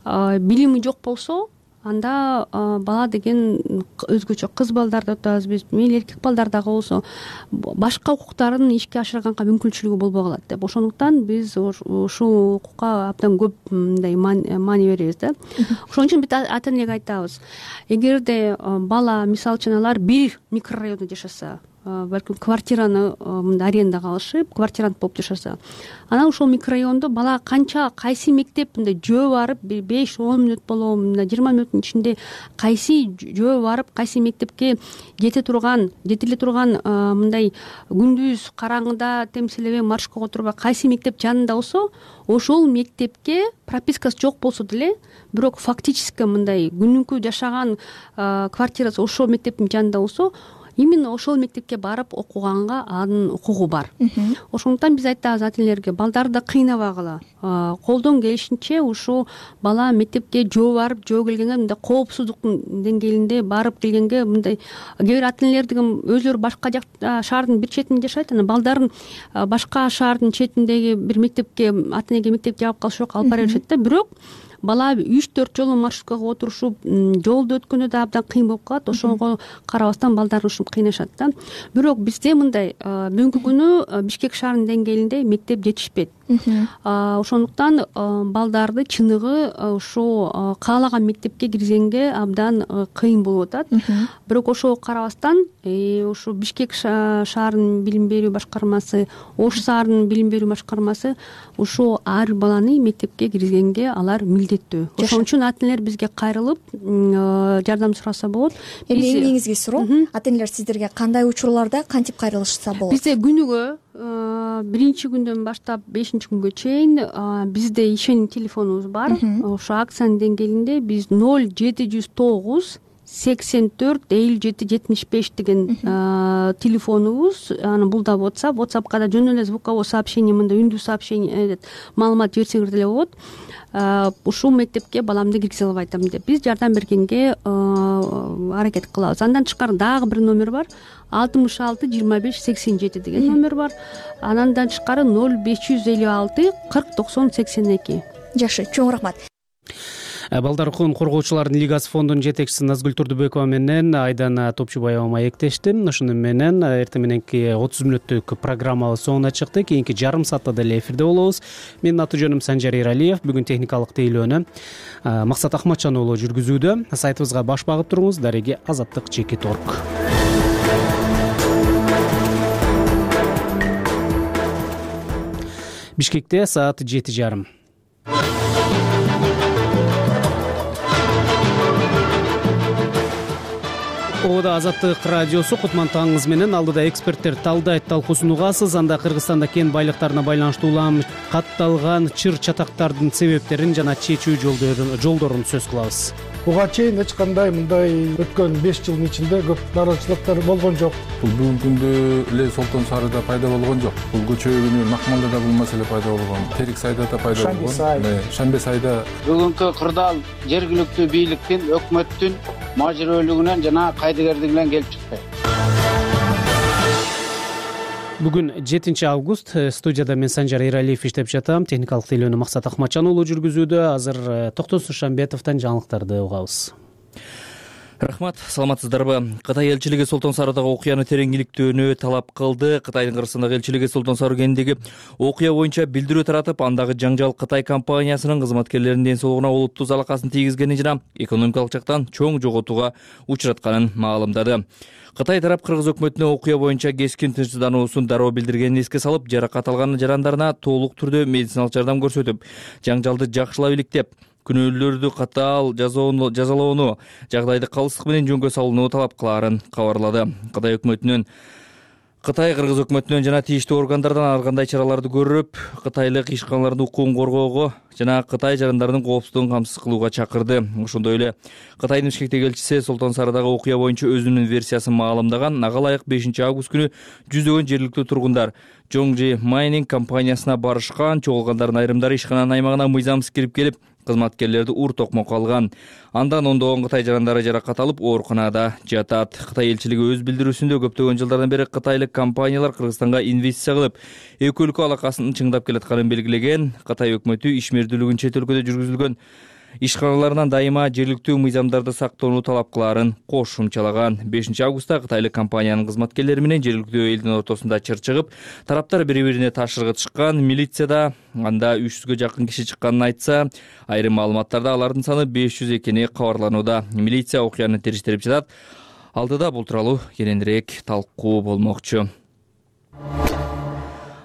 билими жок болсо, анда бала деген өзгөчө кыз балдарды атабыз биз, мейли эркек балдар дагы болсо башка укуктарын ишке ашырганга мүмкүнчүлүгү болбой калат деп. Ошондуктан биз ушул укукка абдан көп мындай маани беребиз да. Ошон үчүн биз ата-энеге айтабыз, эгерде бала мисалы үчүн алар бир микрорайондо жашаса, балким квартираны мындай арендага алышып, квартирант болуп жашаса, анан ошол микрорайондо бала канча кайсы мектеп мындай жөө барып 5-10 мүнөт болобу, мындай 20 мүнөттүн ичинде кайсы жөө барып, кайсы мектепке жетиле турган мындай күндүз караңгыда темселебей маршрутка отурбай кайсы мектеп жанында болсо, ошол мектепке пропискасы жок болсо деле, бирок фактически мындай күнүмкү жашаган квартирасы ошол мектептин жанында болсо, именно ошол мектепке барып окуганга анын укугу бар. Ошондуктан биз айтабыз ата-энелерге, балдарды кыйнабагыла, колдон келишинче ушул бала мектепке жөө барып, жөө келгенге мындай коопсуздуктун деңгээлинде барып келгенге мындай кээ бир ата-энелер деген өзүлөрү башка жакта шаардын бир четинде жашайт, анан балдарын башка шаардын четиндеги бир мектепке, ата-энеге мектеп жабып калыш жок, алып бара беришет да. Бирок бала 3-4 жолу маршруткага отурушуп, жолду өткөндө да абдан кыйын болуп калат. Ошого карабастан балдар ушинтип кыйнашат да. Бирок бизде мындай бүгүнкү күнү Бишкек шаарынын деңгээлинде мектеп жетишпейт. Ошондуктан балдарды чыныгы ошо каалаган мектепке киргизгенге абдан кыйын болуп атат. Бирок ошого карабастан ушу Бишкек шаарынын билим берүү башкармасы, Ош шаарынын билим берүү башкармасы ушу ар баланы мектепке киргизгенге алар милдеттүү. Ошон үчүн ата-энелер бизге кайрылып жардам сураса болот. Эми эң негизги суроо, ата-энелер сиздерге кандай учурларда кантип кайрылышса болот? Бизде күнүгө 1-күндөн баштап 5-күнгө чейин бизде ишеним телефонубуз бар. Ошо акциянын деңгээлинде биз 0709 84-57-75 деген телефонубуз. Аны бул да WhatsAppка да жөн эле звуковой сообщение, мындай үндүү сообщение маалымат жиберсеңер деле болот. Ушул мектепке баламды киргизе албай атам деп биз жардам бергенге аракет кылабыз. Андан тышкары дагы бир номер бар. 66-25-87 деген номер бар. Андан тышкары 0556-40-90-82. Жакшы, чоң рахмат. Балдар укугун коргоочулардын лигасы фондунун жетекчиси Назгүл Турдубекова менен Айдана Топчубаева маектешти. Ошону менен эртең мененки 30 мүнөттүк программабыз соңуна чыкты. Кийинки жарым саатта деле эфирде болобуз. Менин аты жөнүм Санжар Эралиев. Бүгүн техникалык тейлөөнү Максат Ахматжан уулу жүргүзүүдө. Сайтыбызга баш багып туруңуз. Дареги Азаттык.org. Бишкекте саат 7:30. Ода Азаттык радиосу Кутман таңыңыз менен алдыда эксперттер талдайт талкуусун угасыз. Анда Кыргызстанда кен байлыктарына байланыштуу улам катталган чыр чатактардын себептерин жана чечүү жолдорун сөз кылабыз. Буга чейин эч кандай мындай өткөн 5 жылдын ичинде көп нааразычылыктар болгон жок. Бул бүгүнкү күндө эле Солтон Сарыда пайда болгон жок. Бул көчөгүнү Макмалда бул маселе пайда болгон. Терик сайда да пайда болгон. Шамбе сайда. Бүгүнкү кырдаал жергиликтүү бийликтин, өкмөттүн мажбүрөлүгүнөн жана кайдыгерлигинен келип чыкты. Бүгүн 7 август. Студияда мен Санжар Эралиев иштеп жатам. Техникалык тейлөөнү Максат Ахматжан уулу жүргүзүүдө. Азыр Токтон Сушанбетовдон жаңылыктарды угабыз. Рахмат, саламатсыздарбы? Кытай элчилиги Солтон Сарыдагы окуяны терең иликтөөнү талап кылды. Кытайдын Кыргызстандагы элчилиги Солтон Сары кентиндеги окуя боюнча билдирүү таратып, андагы жаңжал Кытай компаниясынын кызматкерлеринин ден соолугуна олуттуу залакасын тийгизгени жана экономикалык жактан чоң жоготууга учуратканын маалымдады. Кытай тарап кыргыз өкмөтүнө окуя боюнча кескин тынчсыздануусун дароо билдиргенин эске салып, жаракат алган жарандарына толук түрдө медициналык жардам көрсөтүп, жаңжалды жакшылап иликтеп, күнөөлүүлөрдү катаал жазалоону, жагдайды калыстык менен жөнгө салууну талап кылаарын кабарлады. Кытай-кыргыз өкмөтүнөн жана тийиштүү органдардан ар кандай чараларды көрүп, кытайлык ишканалардын укугун коргоого жана Кытай жарандарынын коопсуздугун камсыз кылууга чакырды. Ошондой эле Кытайдын Бишкектеги элчиси Солтон Сарыдагы окуя боюнча өзүнүн версиясын маалымдаган. Ага ылайык 5 август күнү жүздөгөн жергиликтүү тургундар Жоңжи Майнинг компаниясына барышкан. Чогулгандардын айрымдары ишкананын аймагына мыйзамсыз кирип келип, кызматкерлерди ур токмокко алган. Андан ондогон Кытай жарандары жаракат алып, ооруканада жатат. Кытай элчилиги өз билдирүүсүндө көптөгөн жылдардан бери кытайлык компаниялар Кыргызстанга инвестиция кылып, эки өлкө алакасын чыңдап келатканын белгилеген. Кытай өкмөтү ишмердүүлүгүн чет өлкөдө жүргүзүлгөн ишканаларынан дайыма жергиликтүү мыйзамдарды сактоону талап кылаарын кошумчалаган. 5 августта кытайлык компаниянын кызматкерлери менен жергиликтүү элдин ортосунда чыр чыгып, тараптар бири-бирине ташыргытышкан. Милицияда анда 300гө жакын киши чыкканын айтса, айрым маалыматтарда алардын саны 500 экени кабарланууда. Милиция окуяны териштирип жатат. Алдыда бул тууралуу кененирээк талкуу болмокчу.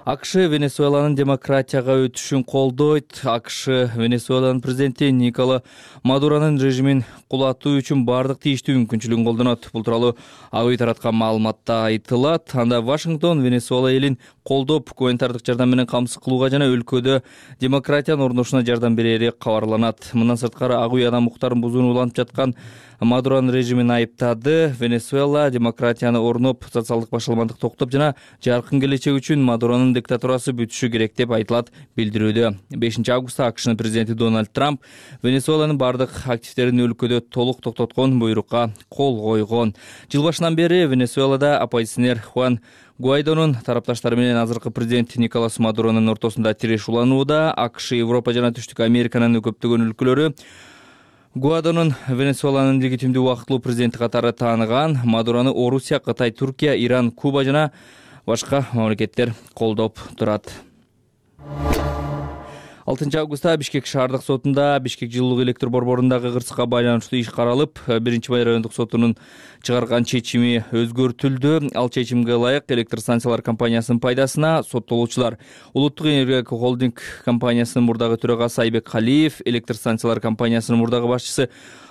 АКШ Венесуэланын демократияга өтүшүн колдойт. АКШ Венесуэланын президенти Никола Мадуронун режимин кулатуу үчүн бардык тийиштүү мүмкүнчүлүгүн колдонот. Бул тууралуу АК тараткан маалыматта айтылат. Анда Вашингтон Венесуэла элин колдоп, гуманитардык жардам менен камсыз кылууга жана өлкөдө демократиянын орношуна жардам берери кабарланат. Мындан сырткары АК адам укуктарын бузууну улантып жаткан Мадуронун режимин айыптады. Венесуэла демократияны орноп, социалдык башаламандык токтоп жана жаркын келечек үчүн Мадуронун диктатурасы бүтүшү керек деп айтылат билдирүүдө. 5 августта АКШнын президенти Дональд Трамп Венесуэланын бардык активдерин өлкөдө толук токтоткон буйрукка кол койгон. Жыл башынан бери Венесуэлада оппозиционер Хуан Гуайдонун тарапташтары менен азыркы президент Николас Мадуронун ортосунда тиреш уланууда. АКШ, Европа жана Түштүк Американын көптөгөн өлкөлөрү Гуайдонун Венесуэланын легитимдүү убактылуу президенти катары тааныган. Мадурону Орусия, Кытай, Туркия, Иран, Куба жана башка мамлекеттер колдоп турат. 6 августта Бишкек шаардык сотунда Бишкек жылуулук электр борборундагы кырсыкка байланыштуу иш каралып, 1-Бай райондук сотунун чыгарган чечими өзгөртүлдү. Ал чечимге ылайык электр станциялар компаниясынын пайдасына соттолуучулар Улуттук энергия холдинг компаниясынын мурдагы төрагасы Айбек Калиев, электр станциялар компаниясынын мурдагы башчысы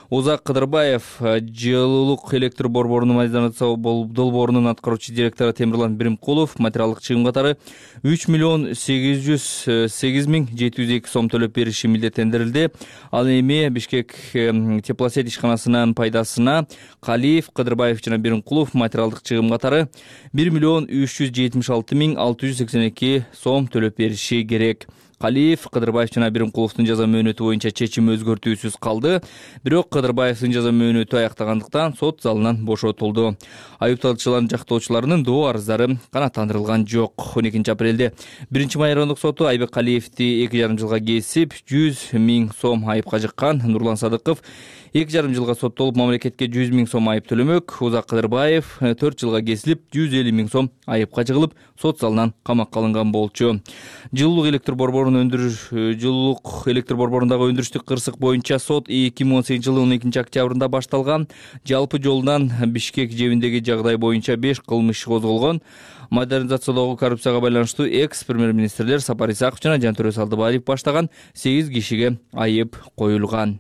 Озак Кыдырбаев жылуулук электр борборунун модернизация долбоорунун аткаруучу директору Темирлан Биримкулов материалдык чыгым катары 3,808,702 сом төлөп бериши милдеттендирилди. Ал эми Бишкек теплосет ишканасынын пайдасына Калиев, Кыдырбаев жана Биримкулов материалдык чыгым катары 1,376,682 сом төлөп бериши керек. Калиев, Кыдырбаев жана Биримкуловдун жаза мөөнөтү боюнча чечим өзгөртүүсүз калды. Бирок Кыдырбаевдин жаза мөөнөтү аяктагандыктан сот залынан бошотулду. Айыпталуучулардын жактоочуларынын доо арыздары канааттандырылган жок. 12 апрелде 1-май райондук соту Айбек Калиевди 2,5 жылга кесип 100,000 сом айыпка жыккан. Нурлан Садыков 2,5 жылга соттолуп мамлекетке 100,000 сом айып төлөмөк. Озак Кыдырбаев 4 жылга кесилип 150,000 сом айыпка жыгылып сот залынан камакка алынган болчу. Жылуулук электр борборундагы өндүрүштүк кырсык боюнча сот 2018 жылы 12 октябрында башталган. Жалпы жолунан Бишкек жебиндеги жагдай боюнча 5 кылмыш козголгон. Модернизациядагы коррупцияга байланыштуу экс-премьер-министрлер Сапар Исаков жана Жантөрө Салдыбаев баштаган 8 кишиге айып коюлган.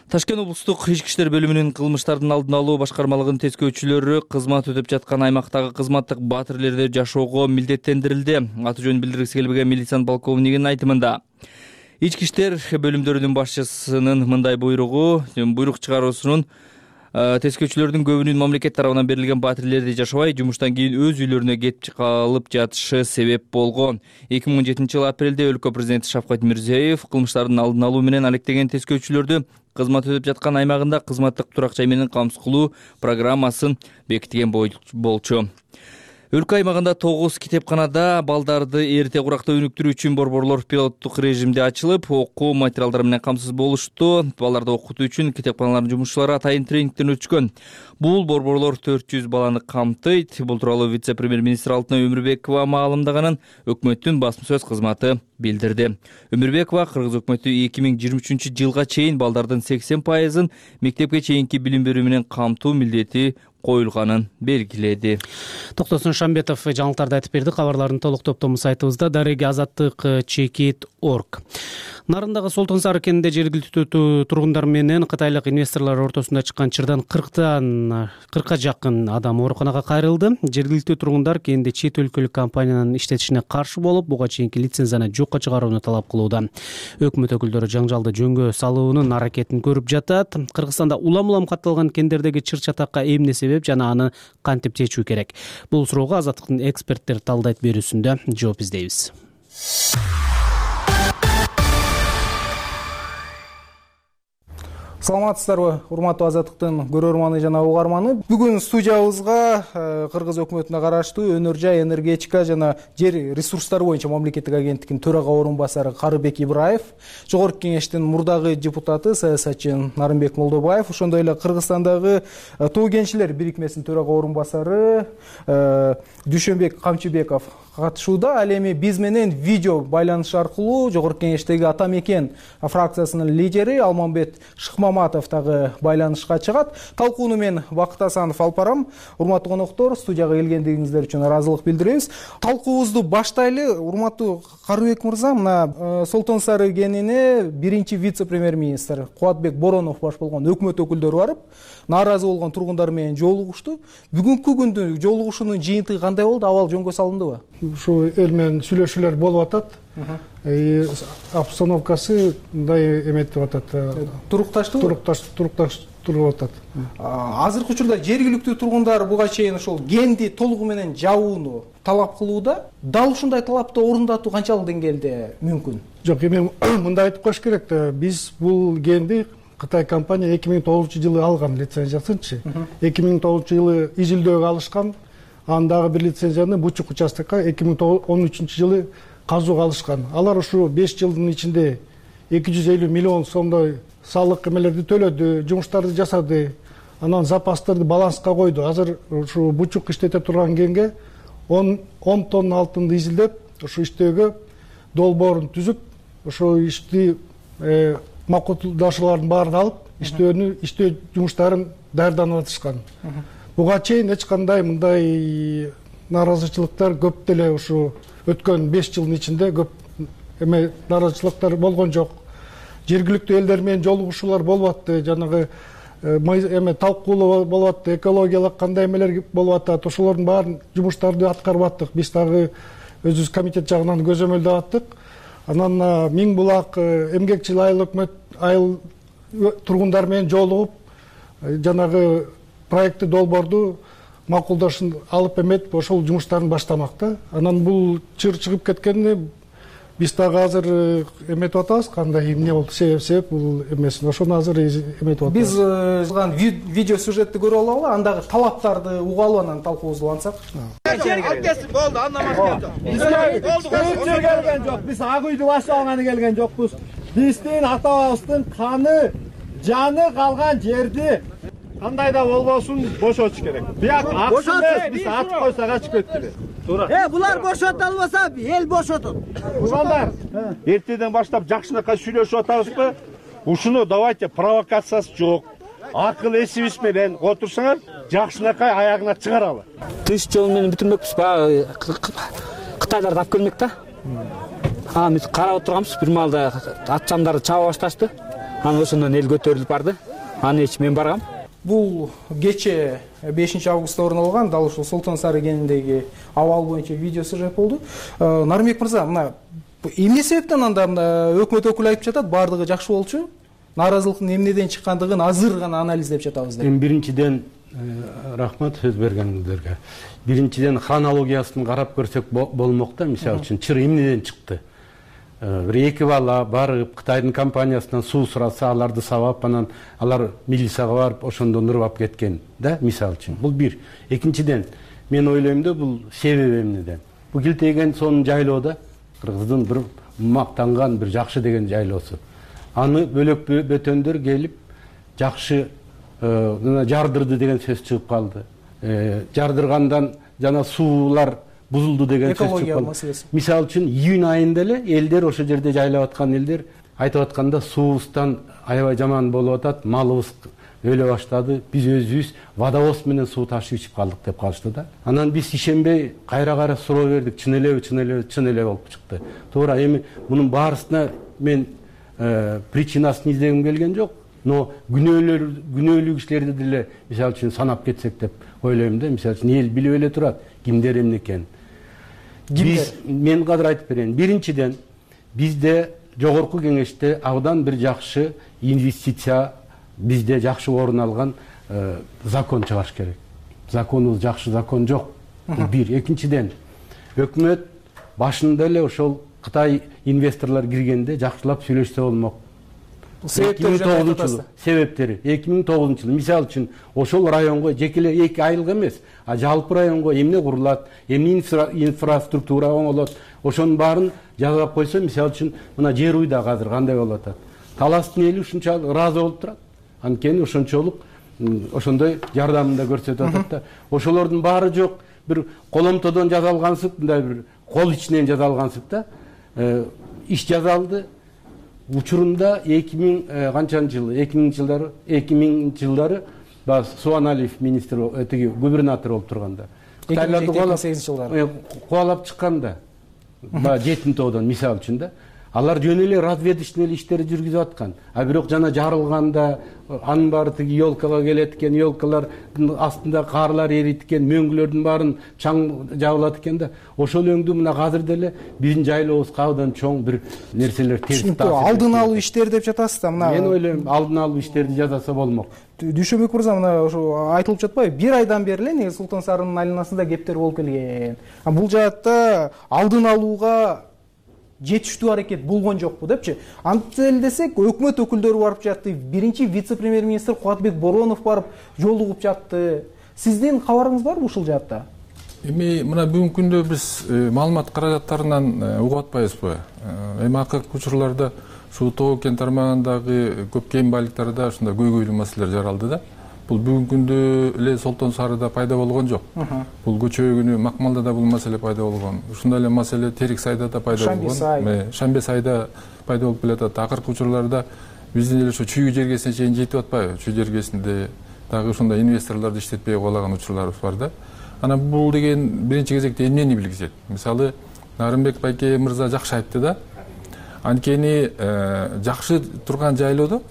Ташкент облустук ички иштер бөлүмүнүн кылмыштардын алдын алуу башкармалыгынын тескөөчүлөрү кызмат өтөп жаткан аймактагы кызматтык батирлерди жашоого милдеттендирилди. Аты жөнүн билдиргиси келбеген милициянын полковнигинин айтымында ички иштер бөлүмдөрүнүн башчысынын мындай буйрук чыгаруусунун тескөөчүлөрдүн көбүнүн мамлекет тарабынан берилген батирлерди жашабай жумуштан кийин өз үйлөрүнө кетип калып жатышы себеп болгон. 2017 жылы апрелде өлкө президенти Шавкат Мирзиёев кылмыштардын алдын алуу менен алектеген тескөөчүлөрдү кызмат өтөп жаткан аймагында кызматтык турак жай менен камсыз кылуу программасын бекиткен болчу. Өлкө аймагында 9 китепканада балдарды эрте куракта өнүктүрүү үчүн борборлор пилоттук режимде ачылып, окуу материалдары менен камсыз болушту. Балдарды окутуу үчүн китепканалардын жумушчулары атайын тренингден өтүшкөн. Бул борборлор 400 баланы камтыйт. Бул тууралуу вице-премьер-министр Алтынай Өмүрбекова маалымдаганын өкмөттүн басма сөз кызматы билдирди. Өмүрбекова Кыргыз өкмөтү 2023 жылга чейин балдардын 80%ын мектепке чейинки билим берүү менен камтуу милдети коюлганын белгиледи. Токтосун Шамбетов жаңылыктарды айтып берди. Кабарлардын толук топтому сайтыбызда daregiazаттык.chekit.org. Нарындагы Солтон Сары кенинде жергиликтүү тургундар менен кытайлык инвесторлор ортосунда чыккан чырдан 40-ка жакын адам ооруканага кайрылды. Жергиликтүү тургундар кенде чет өлкөлүк компаниянын иштетишине каршы болуп, буга чейинки лицензияны жокко чыгарууну талап кылууда. Өкмөт өкүлдөрү жаңжалды жөнгө салуунун аракетин көрүп жатат. Кыргызстанда улам катталган кендердеги чыр-чатакка эмне себеп жана аны кантип чечүү керек? Бул суроого Азаттыктын эксперттери талдайт берүүсүндө жооп издейбиз. Саламатсыздарбы, урматтуу Азаттыктын көрөрманы жана угарманы. Бүгүн студиябызга Кыргыз өкмөтүнө караштуу Өнөр жай энергетика жана жер ресурстары боюнча мамлекеттик агенттиктин төрага орун басары Карыбек Ибраев, жогорку кеңештин мурдагы депутаты саясатчы Нарымбек Молдобаев, ошондой эле Кыргызстандагы Тоо кенчилер бирикмесинин төрага орун басары Дүйшөнбек Камчыбеков катышууда. Ал эми биз менен видео байланыш аркылуу жогорку кеңештеги Ата Мекен фракциясынын лидери Алмамбет Шыкмаматов дагы байланышка чыгат. Талкууну мен Бакыт Асанов алып барам. Урматтуу коноктор, студияга келгендигиңиздер үчүн ыраазылык билдиребиз. Талкуубузду баштайлы. Урматтуу Карыбек мырза, мына Солтон Сары кенине биринчи вице-премьер-министр Кубатбек Боронов баш болгон өкмөт өкүлдөрү барып, нааразы болгон тургундар менен жолугушту. Бүгүнкү күндө жолугушуунун жыйынтыгы кандай болду? Абал жөнгө салындыбы? Ушу эл менен сүйлөшүүлөр болуп атат. Обстановкасы мындай эметип атат. Турукташтыбы? Турукташып атат. Азыркы учурда жергиликтүү тургундар буга чейин ошол кенди толугу менен жабууну талап кылууда. Дал ушундай талапты орундатуу канчалык деңгээлде мүмкүн? Жок, эми мындай айтып коюш керек да, биз бул кенди Кытай компания 2009 жылы алган лицензиясынчы. 2009 жылы июлдөгө алышкан. Андагы бир лицензияны Бучук участокко 2013 жылы казууга алышкан. Алар ушу 5 жылдын ичинде 250 миллион сомдой салык эмелерди төлөдү, жумуштарды жасады. Анан запастарды баланска койду. Азыр ушу Бучук иштете турган кенге 10 тонна алтынды изилдеп, ушу иштөөгө долбоорун түзүп, ошо ишти макулдашуулардын баарын алып, иштөө жумуштарын даярданып атышкан. Буга чейин эч кандай мындай нааразычылыктар көп деле ушу өткөн 5 жылдын ичинде көп эме нааразычылыктар болгон жок. жергиликтүү элдер менен жолугушуулар болуп атты, жанагы эме талкуулоо болуп атты, экологиялык кандай эмелер болуп атат, ошолордун баарын жумуштарды аткарып аттык. Биз дагы өзүбүз комитет жагынан көзөмөлдөп аттык. Анан Миң Булак эмгекчил айыл тургундар менен жолугуп жанагы проекти долбоорду макулдашын алып эметип ошол жумуштарын баштамак да. Анан бул чыр чыгып кеткенди биз дагы азыр эметип атабыз, кандай эмне болду, себеп бул эмесин. Ошону азыр эметип атабыз. Биз видео сюжетти көрүп алалы, андагы талаптарды угалы, анан талкуубузду улантсак. Болду, андан башка келген жок. Биз ак үйдү башталганы келген жокпуз. Биздин ата-бабабыздын каны, жаны калган жерди кандай да болбосун бошотуш керек. Бияк акчаны биз атып койсок ачып кетти. Туура. Булар бошота албаса, эл бошотот. Туугандар, эртеден баштап жакшынакай сүйлөшүп атабызбы? Ушуну давайте провокациясы жок. Акыл эсибиз менен отурсаңар, жакшынакай аягына чыгаралы. Тыш жол менен бүтүрмөкпүз, баягы Кытайларды алып келмек да. Биз карап отурганбыз, бир маалда атчамдарды чаба башташты. Анан ошондон эл көтөрүлүп барды. Анын ичи мен баргам. Бул кече 5 августта орун алган, дал ушул Султан Сары кениндеги абал боюнча видео сюжет болду. Нарымбек мырза, мына эмне себептен анда өкмөт өкүлү айтып жатат, баардыгы жакшы болчу? Наразылыктын эмнеден чыккандыгын азыр гана анализдеп жатабыз деп. Биринчиден рахмат сөз бергениңиздерге. Биринчиден хронологиясын карап көрсөк болмок да, мисалы үчүн чыр эмнеден чыкты. Бир эки бала барып Кытайдын компаниясынан суу сураса, аларды сабап, анан алар милицияга барып ошондон урап кеткен да, мисалы үчүн. Бул бир. Экинчиден, мен ойлойм да, бул себеби эмнеден. Бул Килтеген сонун жайлоодо, Кыргыздын бир мактанган, бир жакшы деген жайлоосу. Аны бөлөк бөтөндөр келип жакшы жардырды деген сөз чыгып калды. Жардыргандан жана суулар бузулду деген сөз чыгып калды. Мисалы үчүн июнь айында эле элдер ошол жерде жайлап аткан элдер айтып атканда суубуздан аябай жаман болуп атат, малыбыз өлө баштады, биз өзүбүз водовоз менен суу ташып ичип калдык деп калышты да. Анан биз ишенбей кайра суроо бердик, чын эле болуп чыкты. Туура, эми мунун баарысына мен причинасын издегим келген жок, но күнөөлүү кишилерди деле мисалы үчүн санап кетсек деп ойлойм да. Мисалы үчүн эл билип эле турат кимдер эмне экенин. Мен кадыр айтып берейин. Биринчиден, бизде жогорку кеңеште абдан бир жакшы инвестиция, бизде жакшы орун алган закон чыгаш керек. Законубуз жакшы закон жок. Бир. Экинчиден, өкмөт башында эле ошол Кытай инвесторлор киргенде жакшылап сүйлөшсө болмок. Себептери 2009 жылы мисалы үчүн ошол районго жекеле 2 айылга эмес, а жалпы районго эмне курулат, эмне инфраструктура оңолот, ошонун баарын жазып койсо, мисалы үчүн мына жер уйда азыр кандай болуп атат. Таластын эли ушунчалык ыраазы болуп турат. Анткени ошончолук ошондой жардамын да көрсөтүп атат да. Ошолордун баары жок, бир коломтодон жазалгансып, мындай бир кол ичинен жазалгансып да. Иш жазалды. Учурунда 2000 канчанчы жылы, 2000 жылдары Суаналиев министр, губернатор болуп турганда. 2008 жылдары. Кубалап чыкканда, 7-тоодон мисалы үчүн да. Алар жөн эле разведочный иштерди жүргүзүп аткан. А бирок жана жарылганда анын баары тиги елкага келет экен, елкалардын астында карлар эрийт экен, мөңгүлөрдүн баарын чаң жабылат экен да. Ошол өңдү мына азыр деле биздин жайлообузга абдан чоң бир нерселер терс таасир. Алдын алуу иштери деп жатасыз да, мына. Мен ойлойм, алдын алуу иштерди жасаса болмок. Дүйшөнбек мырза, мына ошо айтылып жатпайбы? Бир айдан бери эле негизи Султан Сарынын айланасында кептер болуп келген. Бул жаатта алдын алууга жетиштүү аракет болгон жокпу депчи. Антип эле десек, өкмөт өкүлдөрү барып жатты, биринчи вице-премьер-министр Кубатбек Боронов барып жолугуп жатты. Сиздин кабарыңыз барбы ушул жаатта? Эми мына бүгүнкү күндө биз маалымат каражаттарынан угуп атпайбызбы? Эми акыркы учурларда ушул Тоо кен тармагындагы көп кен байлыктарда ушундай көйгөйлүү маселелер жаралды да. Бул бүгүнкү күндө эле Солтон Сарыда пайда болгон жок. Бул көчө күнү Макмалда да бул маселе пайда болгон. Ушундай эле маселе Терик сайда да пайда болгон. Шамбе сайда пайда болуп келатат. Акыркы учурларда биздин эле ошо Чүй жергесине чейин жетип атпайбы? Чүй жергесинде дагы ушундай инвесторлорду иштетпей калаган учурларыбыз бар да. Анан бул деген биринчи кезекте эмнени билгизет? Мисалы, Нарымбек байке мырза жакшы айтты да. анткени жакшы турган жайлоодо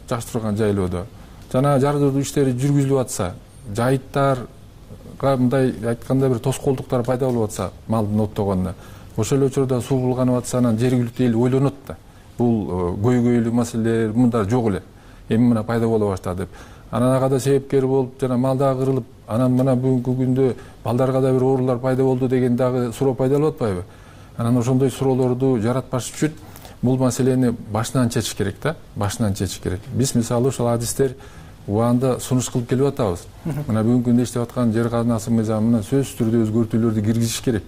жана жардыруу иштери жүргүзүлүп атса, жайыттарга мындай айтканда бир тоскоолдуктар пайда болуп атса малдын оттогонуна, ошол эле учурда суу булганып атса, анан жергиликтүү эл ойлонот да. Бул көйгөйлүү маселелер мындай жок эле. Эми мына пайда боло баштады деп. Анан ага да себепкер болуп, жана мал дагы кырылып, анан мына бүгүнкү күндө балдарга да бир оорулар пайда болду деген дагы суроо пайда болуп атпайбы? Анан ошондой суроолорду жаратпаш үчүн бул маселени башынан чечиш керек да, башынан чечиш керек. Биз мисалы ошол адистер убагында сунуш кылып келип атабыз. Мына бүгүнкү күндө иштеп аткан жер казынасы мыйзамына сөзсүз түрдө өзгөртүүлөрдү киргизиш керек.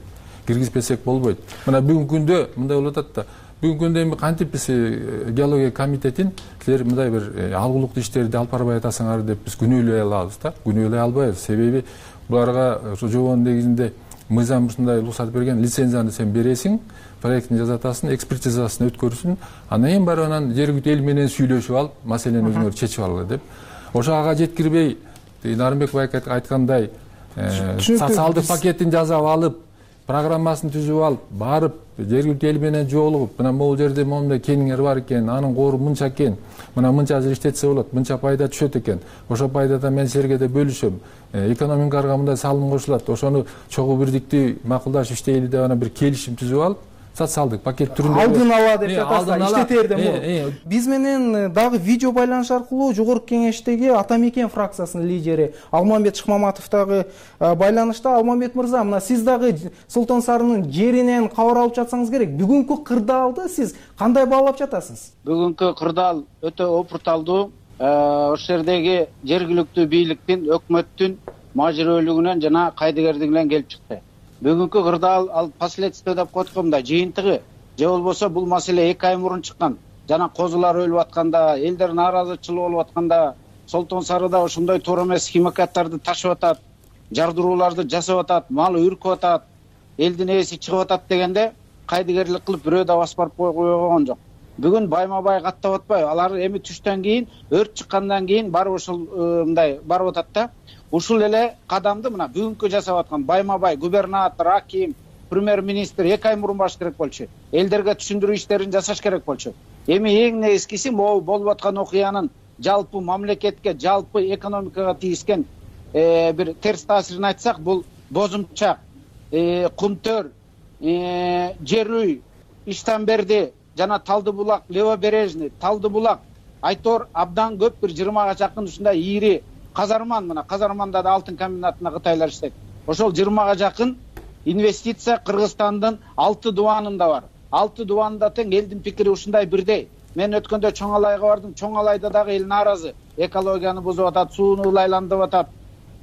Киргизбесек болбойт. Мына бүгүнкү күндө мындай болуп атат да. Бүгүнкү күндө эми кантип биз геология комитетин силер мындай бир алгылыктуу иштерди алып барбай атасыңар деп биз күнөөлөй алабыз да. Күнөөлөй албайбыз. Себеби буларга ошо жобонун негизинде мыйзам ушундай уруксат берген, лицензияны сен бересиң, проектин жасатасың, экспертизасын өткөрүсүң, анан эң баары анан жергиликтүү эл менен сүйлөшүп алып, маселени өзүңөр чечип алгыла деп. Ошо ага жеткирбей, Нарымбек байке айткандай, социалдык пакетин жасап алып, программасын түзүп алып, барып жергиликтүү эл менен жолугуп, мына могул жерде моундай кениңер бар экен, анын кору мынча экен, мына мынча жыл иштетсе болот, мынча пайда түшөт экен, ошол пайдадан мен силерге да бөлүшөм, экономикага мындай салым кошулат, ошону чогуу бирдиктүү макулдашып иштейли деп анан бир келишим түзүп алып, социалдык пакет түрүндө алдын ала деп жатасыздар, иштетерден мурун. Биз менен дагы видео байланыш аркылуу Жогорку Кеңештеги Ата Мекен фракциясынын лидери Алмамбет Шыкмаматов дагы байланышта. Алмамбет мырза, мына сиз дагы Султан Сарынын жеринен кабар алып жатсаңыз керек. Бүгүнкү кырдаалды сиз кандай баалап жатасыз? Бүгүнкү кырдаал өтө опурталдуу. Ошол жердеги жергиликтүү бийликтин, өкмөттүн мажбүрөлүгүнөн жана кайдыгерлигинен келип чыкты. Бүгүнкү кырдаал ал последствие деп коет го, мындай жыйынтыгы. Же болбосо бул маселе 2 ай мурун чыккан. Жана козулар өлүп атканда, элдер нааразычылык болуп атканда, Солтон Сарыда ошондой туура эмес химикаттарды ташып атат, жардырууларды жасап атат, мал үркүп атат, элдин ээси чыгып атат дегенде кайдыгерлик кылып бирөө да басып барып койгон жок. Бүгүн байма-бай каттап атпайбы? Алар эми түштөн кийин, өрт чыккандан кийин барып ошол мындай барып атат да. Ушул эле кадамды мына бүгүнкү жасап аткан байма-бай губернатор, аким, премьер-министр 2 ай мурун баш керек болчу. Элдерге түшүндүрүү иштерин жасаш керек болчу. Эми эң негизгиси могу болуп аткан окуянын жалпы мамлекетке, жалпы экономикага тийишкен бир терс таасирин айтсак, бул Бозумчак, Кумтөр, Жерүй, Иштанберди жана Талдыбулак, Левобережный, Талдыбулак, Айтор абдан көп, бир 20га жакын ушундай ийри казарман, мына казарманда да алтын комбинатына кытайлар иштейт. Ошол 20га жакын инвестиция Кыргызстандын 6 дубанында бар. 6 дубанында тең элдин пикири ушундай бирдей. Мен өткөндө Чоң Алайга бардым. Чоң Алайда дагы эл нааразы. Экологияны бузуп атат, сууну ылайландырып атат.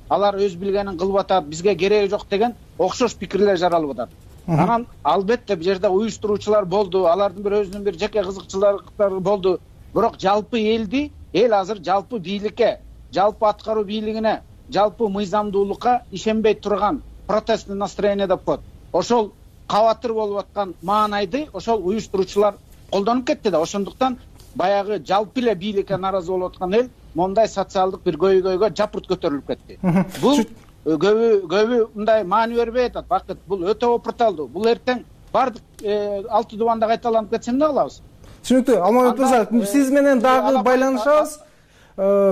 Алар өз билгенин кылып атат, бизге кереги жок деген окшош пикирлер жаралып атат. Анан албетте бул жерде уюштуруучулар болду, алардын бир өзүнүн бир жеке кызыкчылыктары болду. Бирок жалпы элди, эл азыр жалпы бийликке, жалпы аткаруу бийлигине, жалпы мыйзамдуулукка ишенбей турган протестный настроение деп коет. Ошол кабатыр болуп аткан маанайды ошол уюштуруучулар колдонуп кетти да. Ошондуктан баягы жалпы эле бийликке нааразы болуп аткан эл мондай социалдык бир көйгөйгө жапырт көтөрүлүп кетти. Бул көбү мындай маани бербей атат. Бакыт, бул өтө опурталдуу. Бул эртең бардык 6 дубанда кайталанып кетсе эмне кылабыз? Түшүнүктүү. Алмамбет мырза, сиз менен дагы байланышабыз.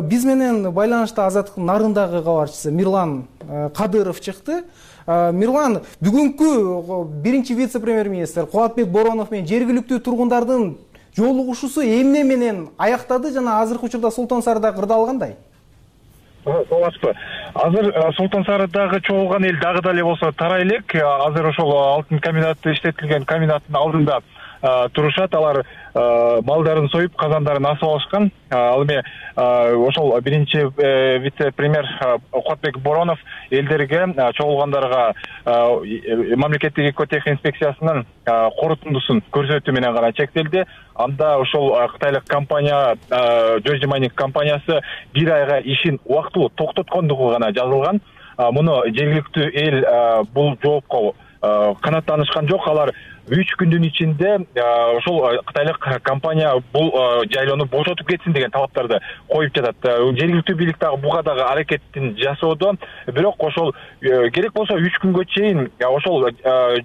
Биз менен байланышта Азаттыктын Нарындагы кабарчысы Мирлан Кадыров чыкты. Мирлан, бүгүнкү биринчи вице-премьер-министр Кубатбек Боронов менен жергиликтүү тургундардын жолугушуусу эмне менен аяктады жана азыркы учурда Султан Сарыда кырдаал кандай? Саламатсызбы. Азыр Султан Сарыдагы чогулган эл дагы дале болсо тарай элек. Азыр ошол алтын комбинаты иштетилген комбинаттын алдында турушат. Алар малдарын союп, казандарын асып алышкан. Ал эми ошол биринчи вице-премьер Кубатбек Боронов элдерге, чогулгандарга мамлекеттик экотехинспекциясынын корутундусун көрсөтүү менен гана чектелди. Анда ошол кытайлык компания, Georgia Mining компаниясы 1 айга ишин убактылуу токтоткондугу гана жазылган. Муну жергиликтүү эл бул жоопко канааттанышкан жок. Алар 3 күндүн ичинде ошол кытайлык компания бул жайлоону бошотуп кетсин деген талаптарды коюп жатат. Жергиликтүү бийлик дагы буга дагы аракетин жасоодо, бирок ошол керек болсо 3 күнгө чейин ошол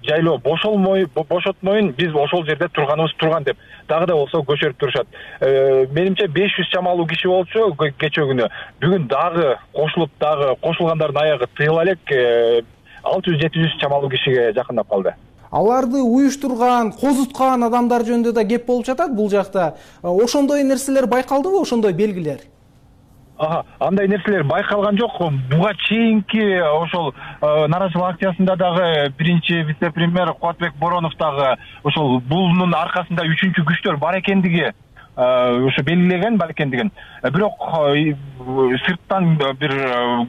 жайлоо бошотмоюн, биз ошол жерде турганыбыз турган деп дагы да болсо көчөрүп турушат. Менимче 500 чамалуу киши болчу кечээ күнү. Бүгүн дагы кошулуп, дагы кошулгандардын аягы тыйыла элек 600-700 чамалуу кишиге жакындап калды. Аларды уюштурган, козуткан адамдар жөнүндө да кеп болуп жатат бул жакта. Ошондой нерселер байкалдыбы, ошондой белгилер? Андай нерселер байкалган жок. Буга чейинки ошол нааразычылык акциясында дагы биринчи вице-премьер Кубатбек Боронов дагы ошол бунун аркасында 3-күчтөр күчтөр бар экендиги ошо белгилеген бар экендигин. Бирок сырттан бир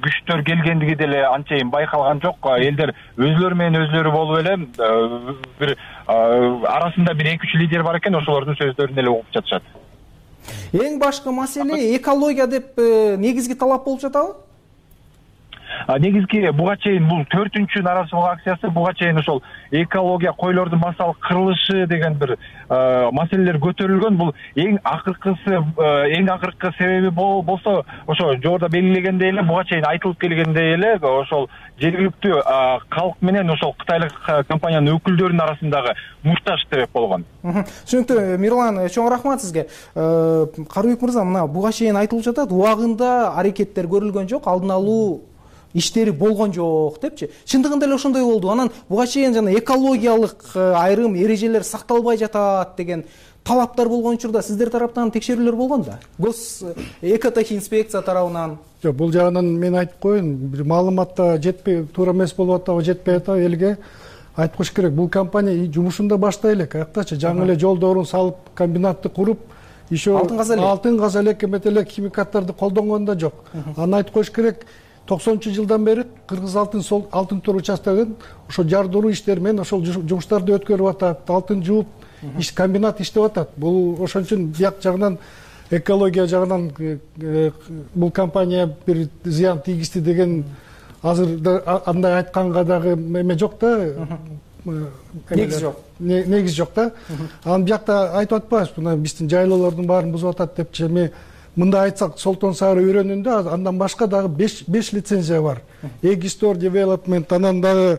күчтөр келгендиги деле анчейин байкалган жок. Элдер өзлөрү менен өзлөрү болуп эле бир арасында бир 2-3 лидер бар экен, ошолордун сөздөрүн эле угуп жатышат. Эң башкы маселе экология деп негизги талап болуп жатабы? Негизги буга чейин бул 4-үнчү нааразычылык акциясы, буга чейин ошол экология, койлордун массалык кырылышы деген бир маселелер көтөрүлгөн. Бул эң акыркы себеби болсо ошо жогоруда белгилегендей эле, буга чейин айтылып келгендей эле, ошол жергиликтүү калк менен ошол кытайлык компаниянын өкүлдөрүнүн арасындагы мушташ себеп болгон. Түшүнүктүү. Мирлан, чоң рахмат сизге. Карыбек мырза, мына буга чейин айтылып жатат, убагында аракеттер көрүлгөн жок, алдын алуу иштери болгон жок депчи. Чындыгында эле ошондой болду. Анан буга чейин жана экологиялык айрым эрежелер сакталбай жатат деген талаптар болгон учурда сиздер тараптан текшерүүлөр болгон да? Гос экотехинспекция тарабынан. Жок, бул жагынан мен айтып коеюн, бир маалыматта жетпей, туура эмес болуп атабы, жетпей атабы элге айтып коюш керек. Бул компания жумушун баштай элек, аяктачы жаңы эле жолдорун салып, комбинатты куруп, еще алтын каза элек эмет эле химикаттарды колдонгон да жок. Аны айтып коюш керек. 90-жылдан бери Кыргыз алтын тор участогун ошо жардыруу иштери менен ошол жумуштарды өткөрүп атат, алтын жууп, комбинат иштеп атат. Бул ошон үчүн бияк жагынан экология жагынан бул компания бир зыян тийгизди деген азыр андай айтканга дагы эме жок да. Негиз жок да. Анан биякта айтып атпайбыз, мына биздин жайлоолордун баарын бузуп атат депчи. Эми мында айтсак, Солтон Сары өрөөнүндө андан башка дагы 5 лицензия бар. Эгистор Development, анан дагы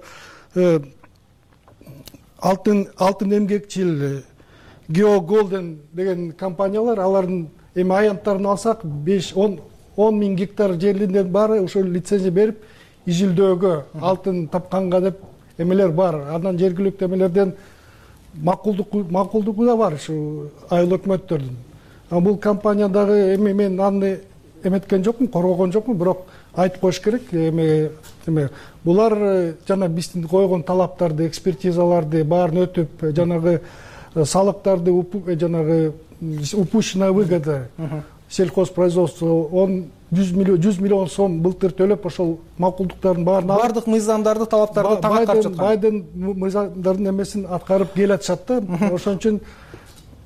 алтын эмгекчил, Geo Golden деген компаниялар, алардын эми аянттарын алсак 5-10 миң гектар жерлерден баары ошол лицензия берип, изилдөөгө, алтын тапканга деп эмелер бар. Андан жергиликтүү эмелерден макулдугу да бар ушу айыл өкмөттөрдүн. Бул компания дагы эми мен аны эметкен жокмун, коргогон жокмун, бирок айтып коюш керек. Эми булар жана биздин койгон талаптарды, экспертизаларды баарын өтүп, жанагы салыктарды жанагы упущенная выгода сельхозпроизводство 100 миллион сом былтыр төлөп, ошол макулдуктардын баардык мыйзамдарды, талаптарды так аткарып жаткан. Байдын мыйзамдардын эмесин аткарып келатышат да. Ошон үчүн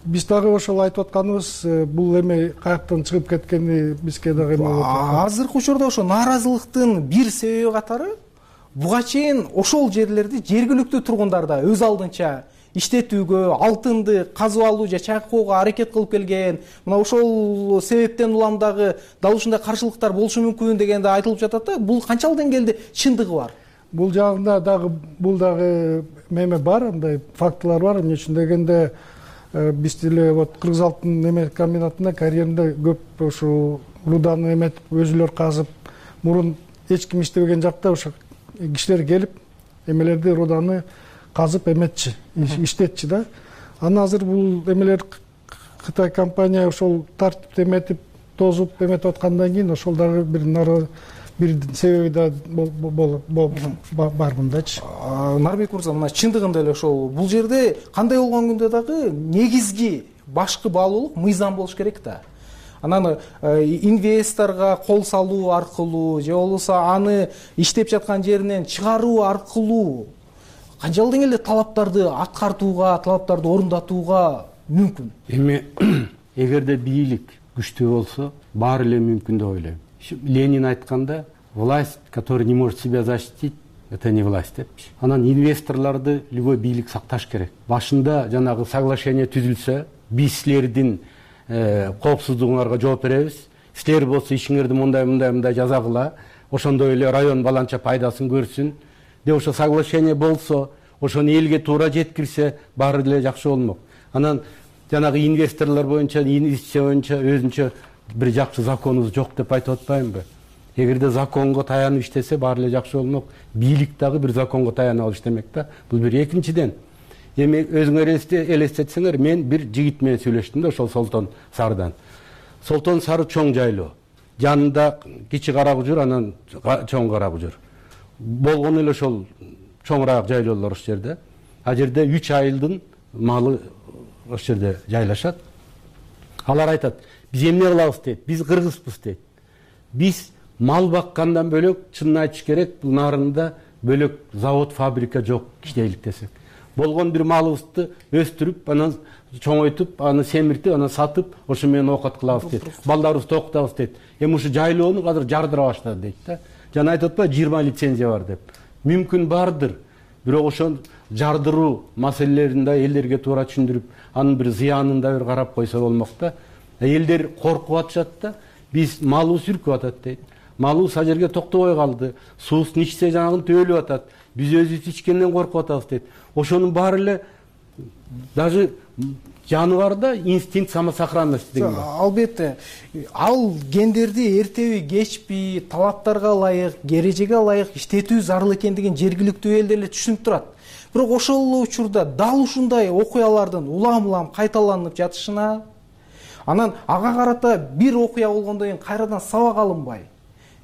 биз дагы ошол айтып атканыбыз, бул эме каяктан чыгып кеткени бизге дагы эме болуп атат. Азыркы учурда ошо нааразылыктын бир себеби катары буга чейин ошол жерлерди жергиликтүү тургундар да өз алдынча иштетүүгө, алтынды казып алуу же чайкоого аракет кылып келген. Мына ошол себептен улам дагы дал ушундай каршылыктар болушу мүмкүн деген да айтылып жатат да. Бул канчалык деңгээлде чындыгы бар? Бул жагында дагы эме бар, андай фактылар бар. Эмне үчүн дегенде биз деле вот Кыргыз алтын эме комбинатында карьеринде көп ушу руданы эметип, өзүлөр казып, мурун эч ким иштебеген жакта ошо кишилер келип эмелерди руданы казып эметчи, иштетчи да. Анан азыр бул эмелер Кытай компания ошол тартипти эметип, тозуп эметип аткандан кийин ошол дагы бир себеби да бар мындачы. Нарбек мырза, мына чындыгында эле ошол бул жерде кандай болгон күндө дагы негизги башкы баалуулук мыйзам болуш керек да. Анан инвесторго кол салуу аркылуу же болбосо аны иштеп жаткан жеринен чыгаруу аркылуу канчалык деңгээлде талаптарды аткартууга, талаптарды орундатууга мүмкүн? Эми эгерде бийлик күчтүү болсо, баары эле мүмкүн деп ойлойм. Ленин айтканда, власть, которая не может себя защитить, это не власть депчи. Анан инвесторлорду любой бийлик сакташ керек. Башында жанагы соглашение түзүлсө, биз силердин коопсуздугуңарга жооп беребиз. Силер болсо ишиңерди мындай жазагыла, ошондой эле район баланча пайдасын көрсүн деп ошо соглашение болсо, ошону элге туура жеткирсе, баары эле жакшы болмок. Анан жанагы инвесторлор боюнча, инвестиция боюнча өзүнчө бир жакшы законубуз жок деп айтып атпаймынбы? Эгерде законго таянып иштесе, баары эле жакшы болмок. Бийлик дагы бир законго таянып алыш демек да. Бул бир. Экинчиден, эми өзүңөр элестетсеңер, мен бир жигит менен сүйлөштүм да, ошол Солтон Сарыдан. Солтон Сары чоң жайлоо. Жанында кичи Каракужур, анан чоң Каракужур. Болгону эле ошол чоңураак жайлоолор ошол жерде. А жерде 3 айылдын малы ошол жерде жайлашат. Алар айтат, биз эмне кылабыз дейт, биз кыргызбыз дейт. Биз мал баккандан бөлөк, чынын айтыш керек, бул нарында бөлөк завод, фабрика жок иштейлик десек. Болгон бир малыбызды өстүрүп, анан чоңойтуп, аны семиртип, анан сатып, ошо менен оокат кылабыз дейт. Балдарыбызды окутабыз дейт. Эми ушу жайлоону азыр жардыра баштады дейт да. Жана айтып атпайбы 20 лицензия бар деп. Мүмкүн бардыр. Бирок ошол жардыруу маселелерин да элдерге туура түшүндүрүп, анын бир зыянын да бир карап койсо болмок да. Элдер коркуп атышат да. Биз малыбыз үркүп атат дейт. Малыбыз ал жерге токтобой калды. Суусун ичсе жанагын өлүп атат. Биз өзүбүз ичкенден коркуп атабыз дейт. Ошонун баары эле даже жаныбарда инстинкт самосохранности деген бар. Албетте, ал гендерди эртеби кечпи талаптарга ылайык, эрежеге ылайык иштетүү зарыл экендигин жергиликтүү элдер эле түшүнүп турат. Бирок ошол эле учурда дал ушундай окуялардын улам-улам кайталанып жатышына, анан ага карата бир окуя болгондон кийин кайрадан сабак алынбай,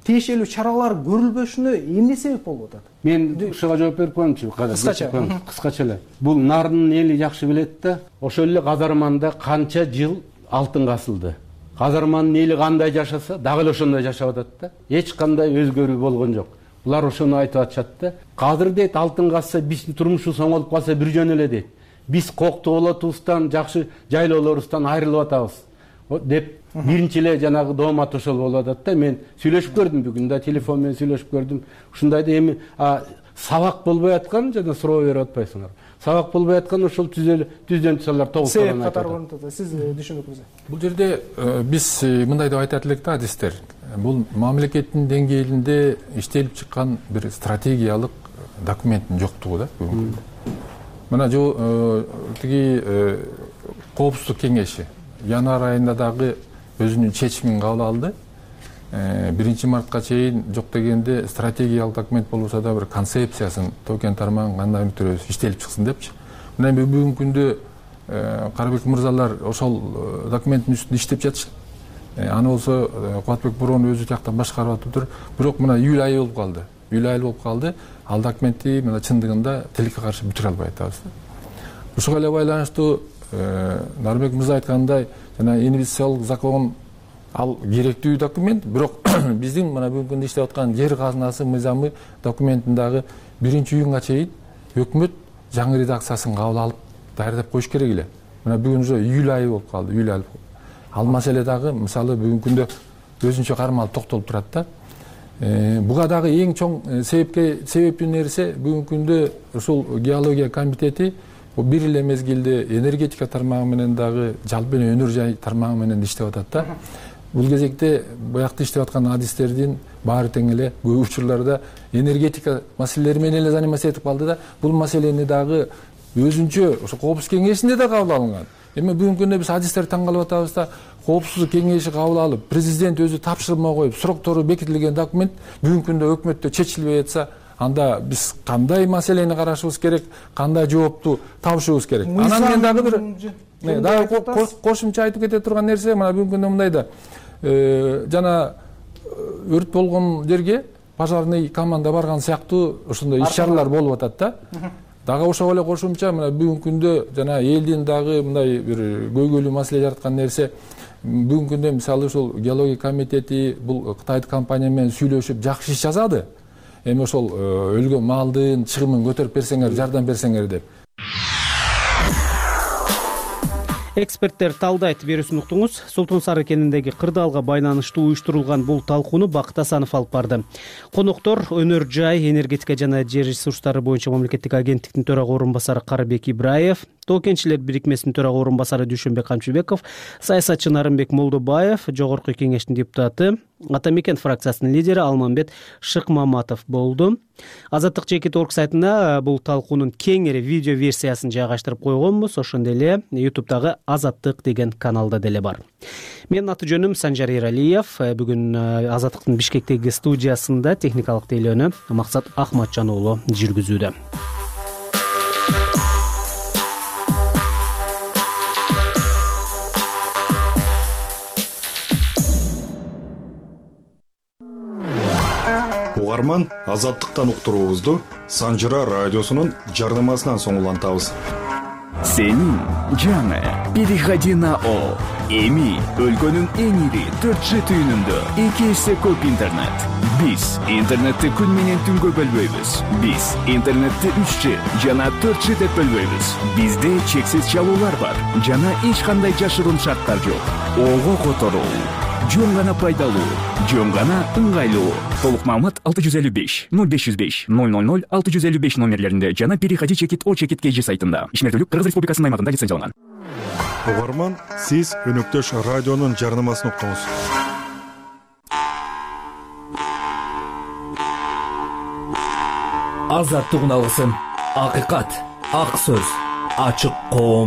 тиешелүү чаралар көрүлбөшүнө эмне себеп болуп атат? Мен ушуга жооп берип коеюнчу. Кыскача эле. Бул нардын эли жакшы билет да. Ошол эле Казарманда канча жыл алтын касылды. Казарманын эли кандай жашаса, дагы эле ошондой жашап атат да. Эч кандай өзгөрүү болгон жок. Булар ошону айтып атышат да. Казыр дейт, алтын касса, биздин турмушубуз оңолуп калса бир жөн эле дейт. Биз коктуу болотубуздан, жакшы жайлоолорубуздан айрылып атабыз деп биринчи эле жанагы доомат ошол болуп атат да. Мен сүйлөшүп көрдүм бүгүн да, телефон менен сүйлөшүп көрдүм. Ушундай да эми сабак болбой аткан жана суроо берип атпайсыңар. Сабак болбой аткан ошол түздөн алар тогуз катары. Сиз түшүнүкүңүз. Бул жерде биз мындай деп айтат элек да адистер. Бул мамлекеттин деңгээлинде иштелип чыккан бир стратегиялык документтин жоктугу да. Мына тиги коопсуздук кеңеши январь айында дагы өзүнүн чечимин кабыл алды. 1 мартка чейин жок дегенде стратегиялык документ болбосо да бир концепциясын токен тармагын кандай түрөбүз иштелип чыксын депчи. Мына бүгүнкү күндө Карабек мырзалар ошол документтин үстүндө иштеп жатышат. Аны болсо Кубатбек Боронов өзү тияктан башкарып атыптыр. Бирок мына июль айы болуп калды. Июль айы болуп калды. Ал документти мына чындыгында тилекке каршы бүтүрө албай атабыз. Ушуга эле байланыштуу Нарбек мырза айткандай, жана инвестициялык закон ал керектүү документ, бирок биздин мына бүгүнкү күндө иштеп аткан жер казынасы мыйзамы документиндагы 1-июнга чейин өкмөт жаңы редакциясын кабыл алып даярдап коюш керек эле. Мына бүгүн уже июль айы болуп калды, июль айы. Ал маселе дагы мисалы бүгүнкү күндө өзүнчө кармалып токтолуп турат да. Буга дагы эң чоң себептүү нерсе бүгүнкү күндө ушул геология комитети бир эле мезгилде энергетика тармагы менен дагы жалпы өнөр жай тармагы менен иштеп атат да. Бул кезекте буякта иштеп аткан адистердин баары тең эле көп учурларда энергетика маселелери менен эле заниматься этип калды да. Бул маселени дагы өзүнчө ошо коопсуздук кеңешинде да кабыл алынган. Эми бүгүнкү күндө биз адистер таң калып атабыз да, коопсуздук кеңеши кабыл алып, президент өзү тапшырма коюп, сроктору бекитилген документ бүгүнкү күндө өкмөттө чечилбей атса, анда биз кандай маселени карашыбыз керек, кандай жоопту табышыбыз керек. Анан мен дагы бир кошумча айтып кете турган нерсе, мына бүгүнкү күндө мындай да, жана өрт болгон жерге пожарный команда барган сыяктуу ошондой иш-чаралар болуп атат да. Дагы ошого эле кошумча мына бүгүнкү күндө жана элдин дагы мындай бир көйгөйлүү маселе жараткан нерсе, бүгүнкү күндө мисалы ушул геология комитети бул Кытайдык компания менен сүйлөшүп жакшы иш жазады. Эми ошол өлгөн малдын чыгымын көтөрүп берсеңер, жардам берсеңер деп. Эксперттер талдайт, берүүсүн уктуңуз. Султан Сары кениндеги кырдаалга байланыштуу уюштурулган бул талкууну Бакыт Асанов алып барды. Коноктор өнөр жай, энергетика жана жер ресурстары боюнча мамлекеттик агенттиктин төрага орун басары Карыбек Ибраев, Тоо кенчилер бирикмесинин төрага орун басары Дүйшөнбек Камчыбеков, саясатчы Нарымбек Молдобаев, Жогорку кеңештин депутаты, Ата Мекен фракциясынын лидери Алмамбет Шыкмаматов болду. Азаттык Чекит.org сайтына бул талкуунун кеңири видео версиясын жайгаштырып койгонбуз. Ошондой эле YouTube'дагы Азаттык деген каналда деле бар. Менин аты жөнүм Санжар Эралиев. Бүгүн Азаттыктын Бишкектеги студиясында техникалык тейлөөнү Максат Ахматжан уулу жүргүзүүдө. Угарман, Азаттыктан уктуруубузду Санжыра радиосунун жарнамасынан соң улантабыз. Сенин жаңы переходи на О. Эми өлкөнүн эң ири 4G түйүнүндө 2 эсе көп интернет. Биз интернетти күн менен түнгө бөлбөйбүз. Биз интернетти 3G жана 4G деп бөлбөйбүз. Бизде чексиз чалуулар бар жана эч кандай жашыруун шарттар жок. Ого которуу жөн гана пайдалуу, жөн гана ыңгайлуу. Толук маалымат 655 0505 000 655 номерлеринде жана переходи Чекит.o.Чекит.kg сайтында. Ишмердүүлүк Кыргыз Республикасынын аймагында лицензияланган. Угарман, сиз өнөктөш радионун жарнамасын уктуңуз. Азаттык үн алгысы, акыйкат, ак сөз, ачык коом.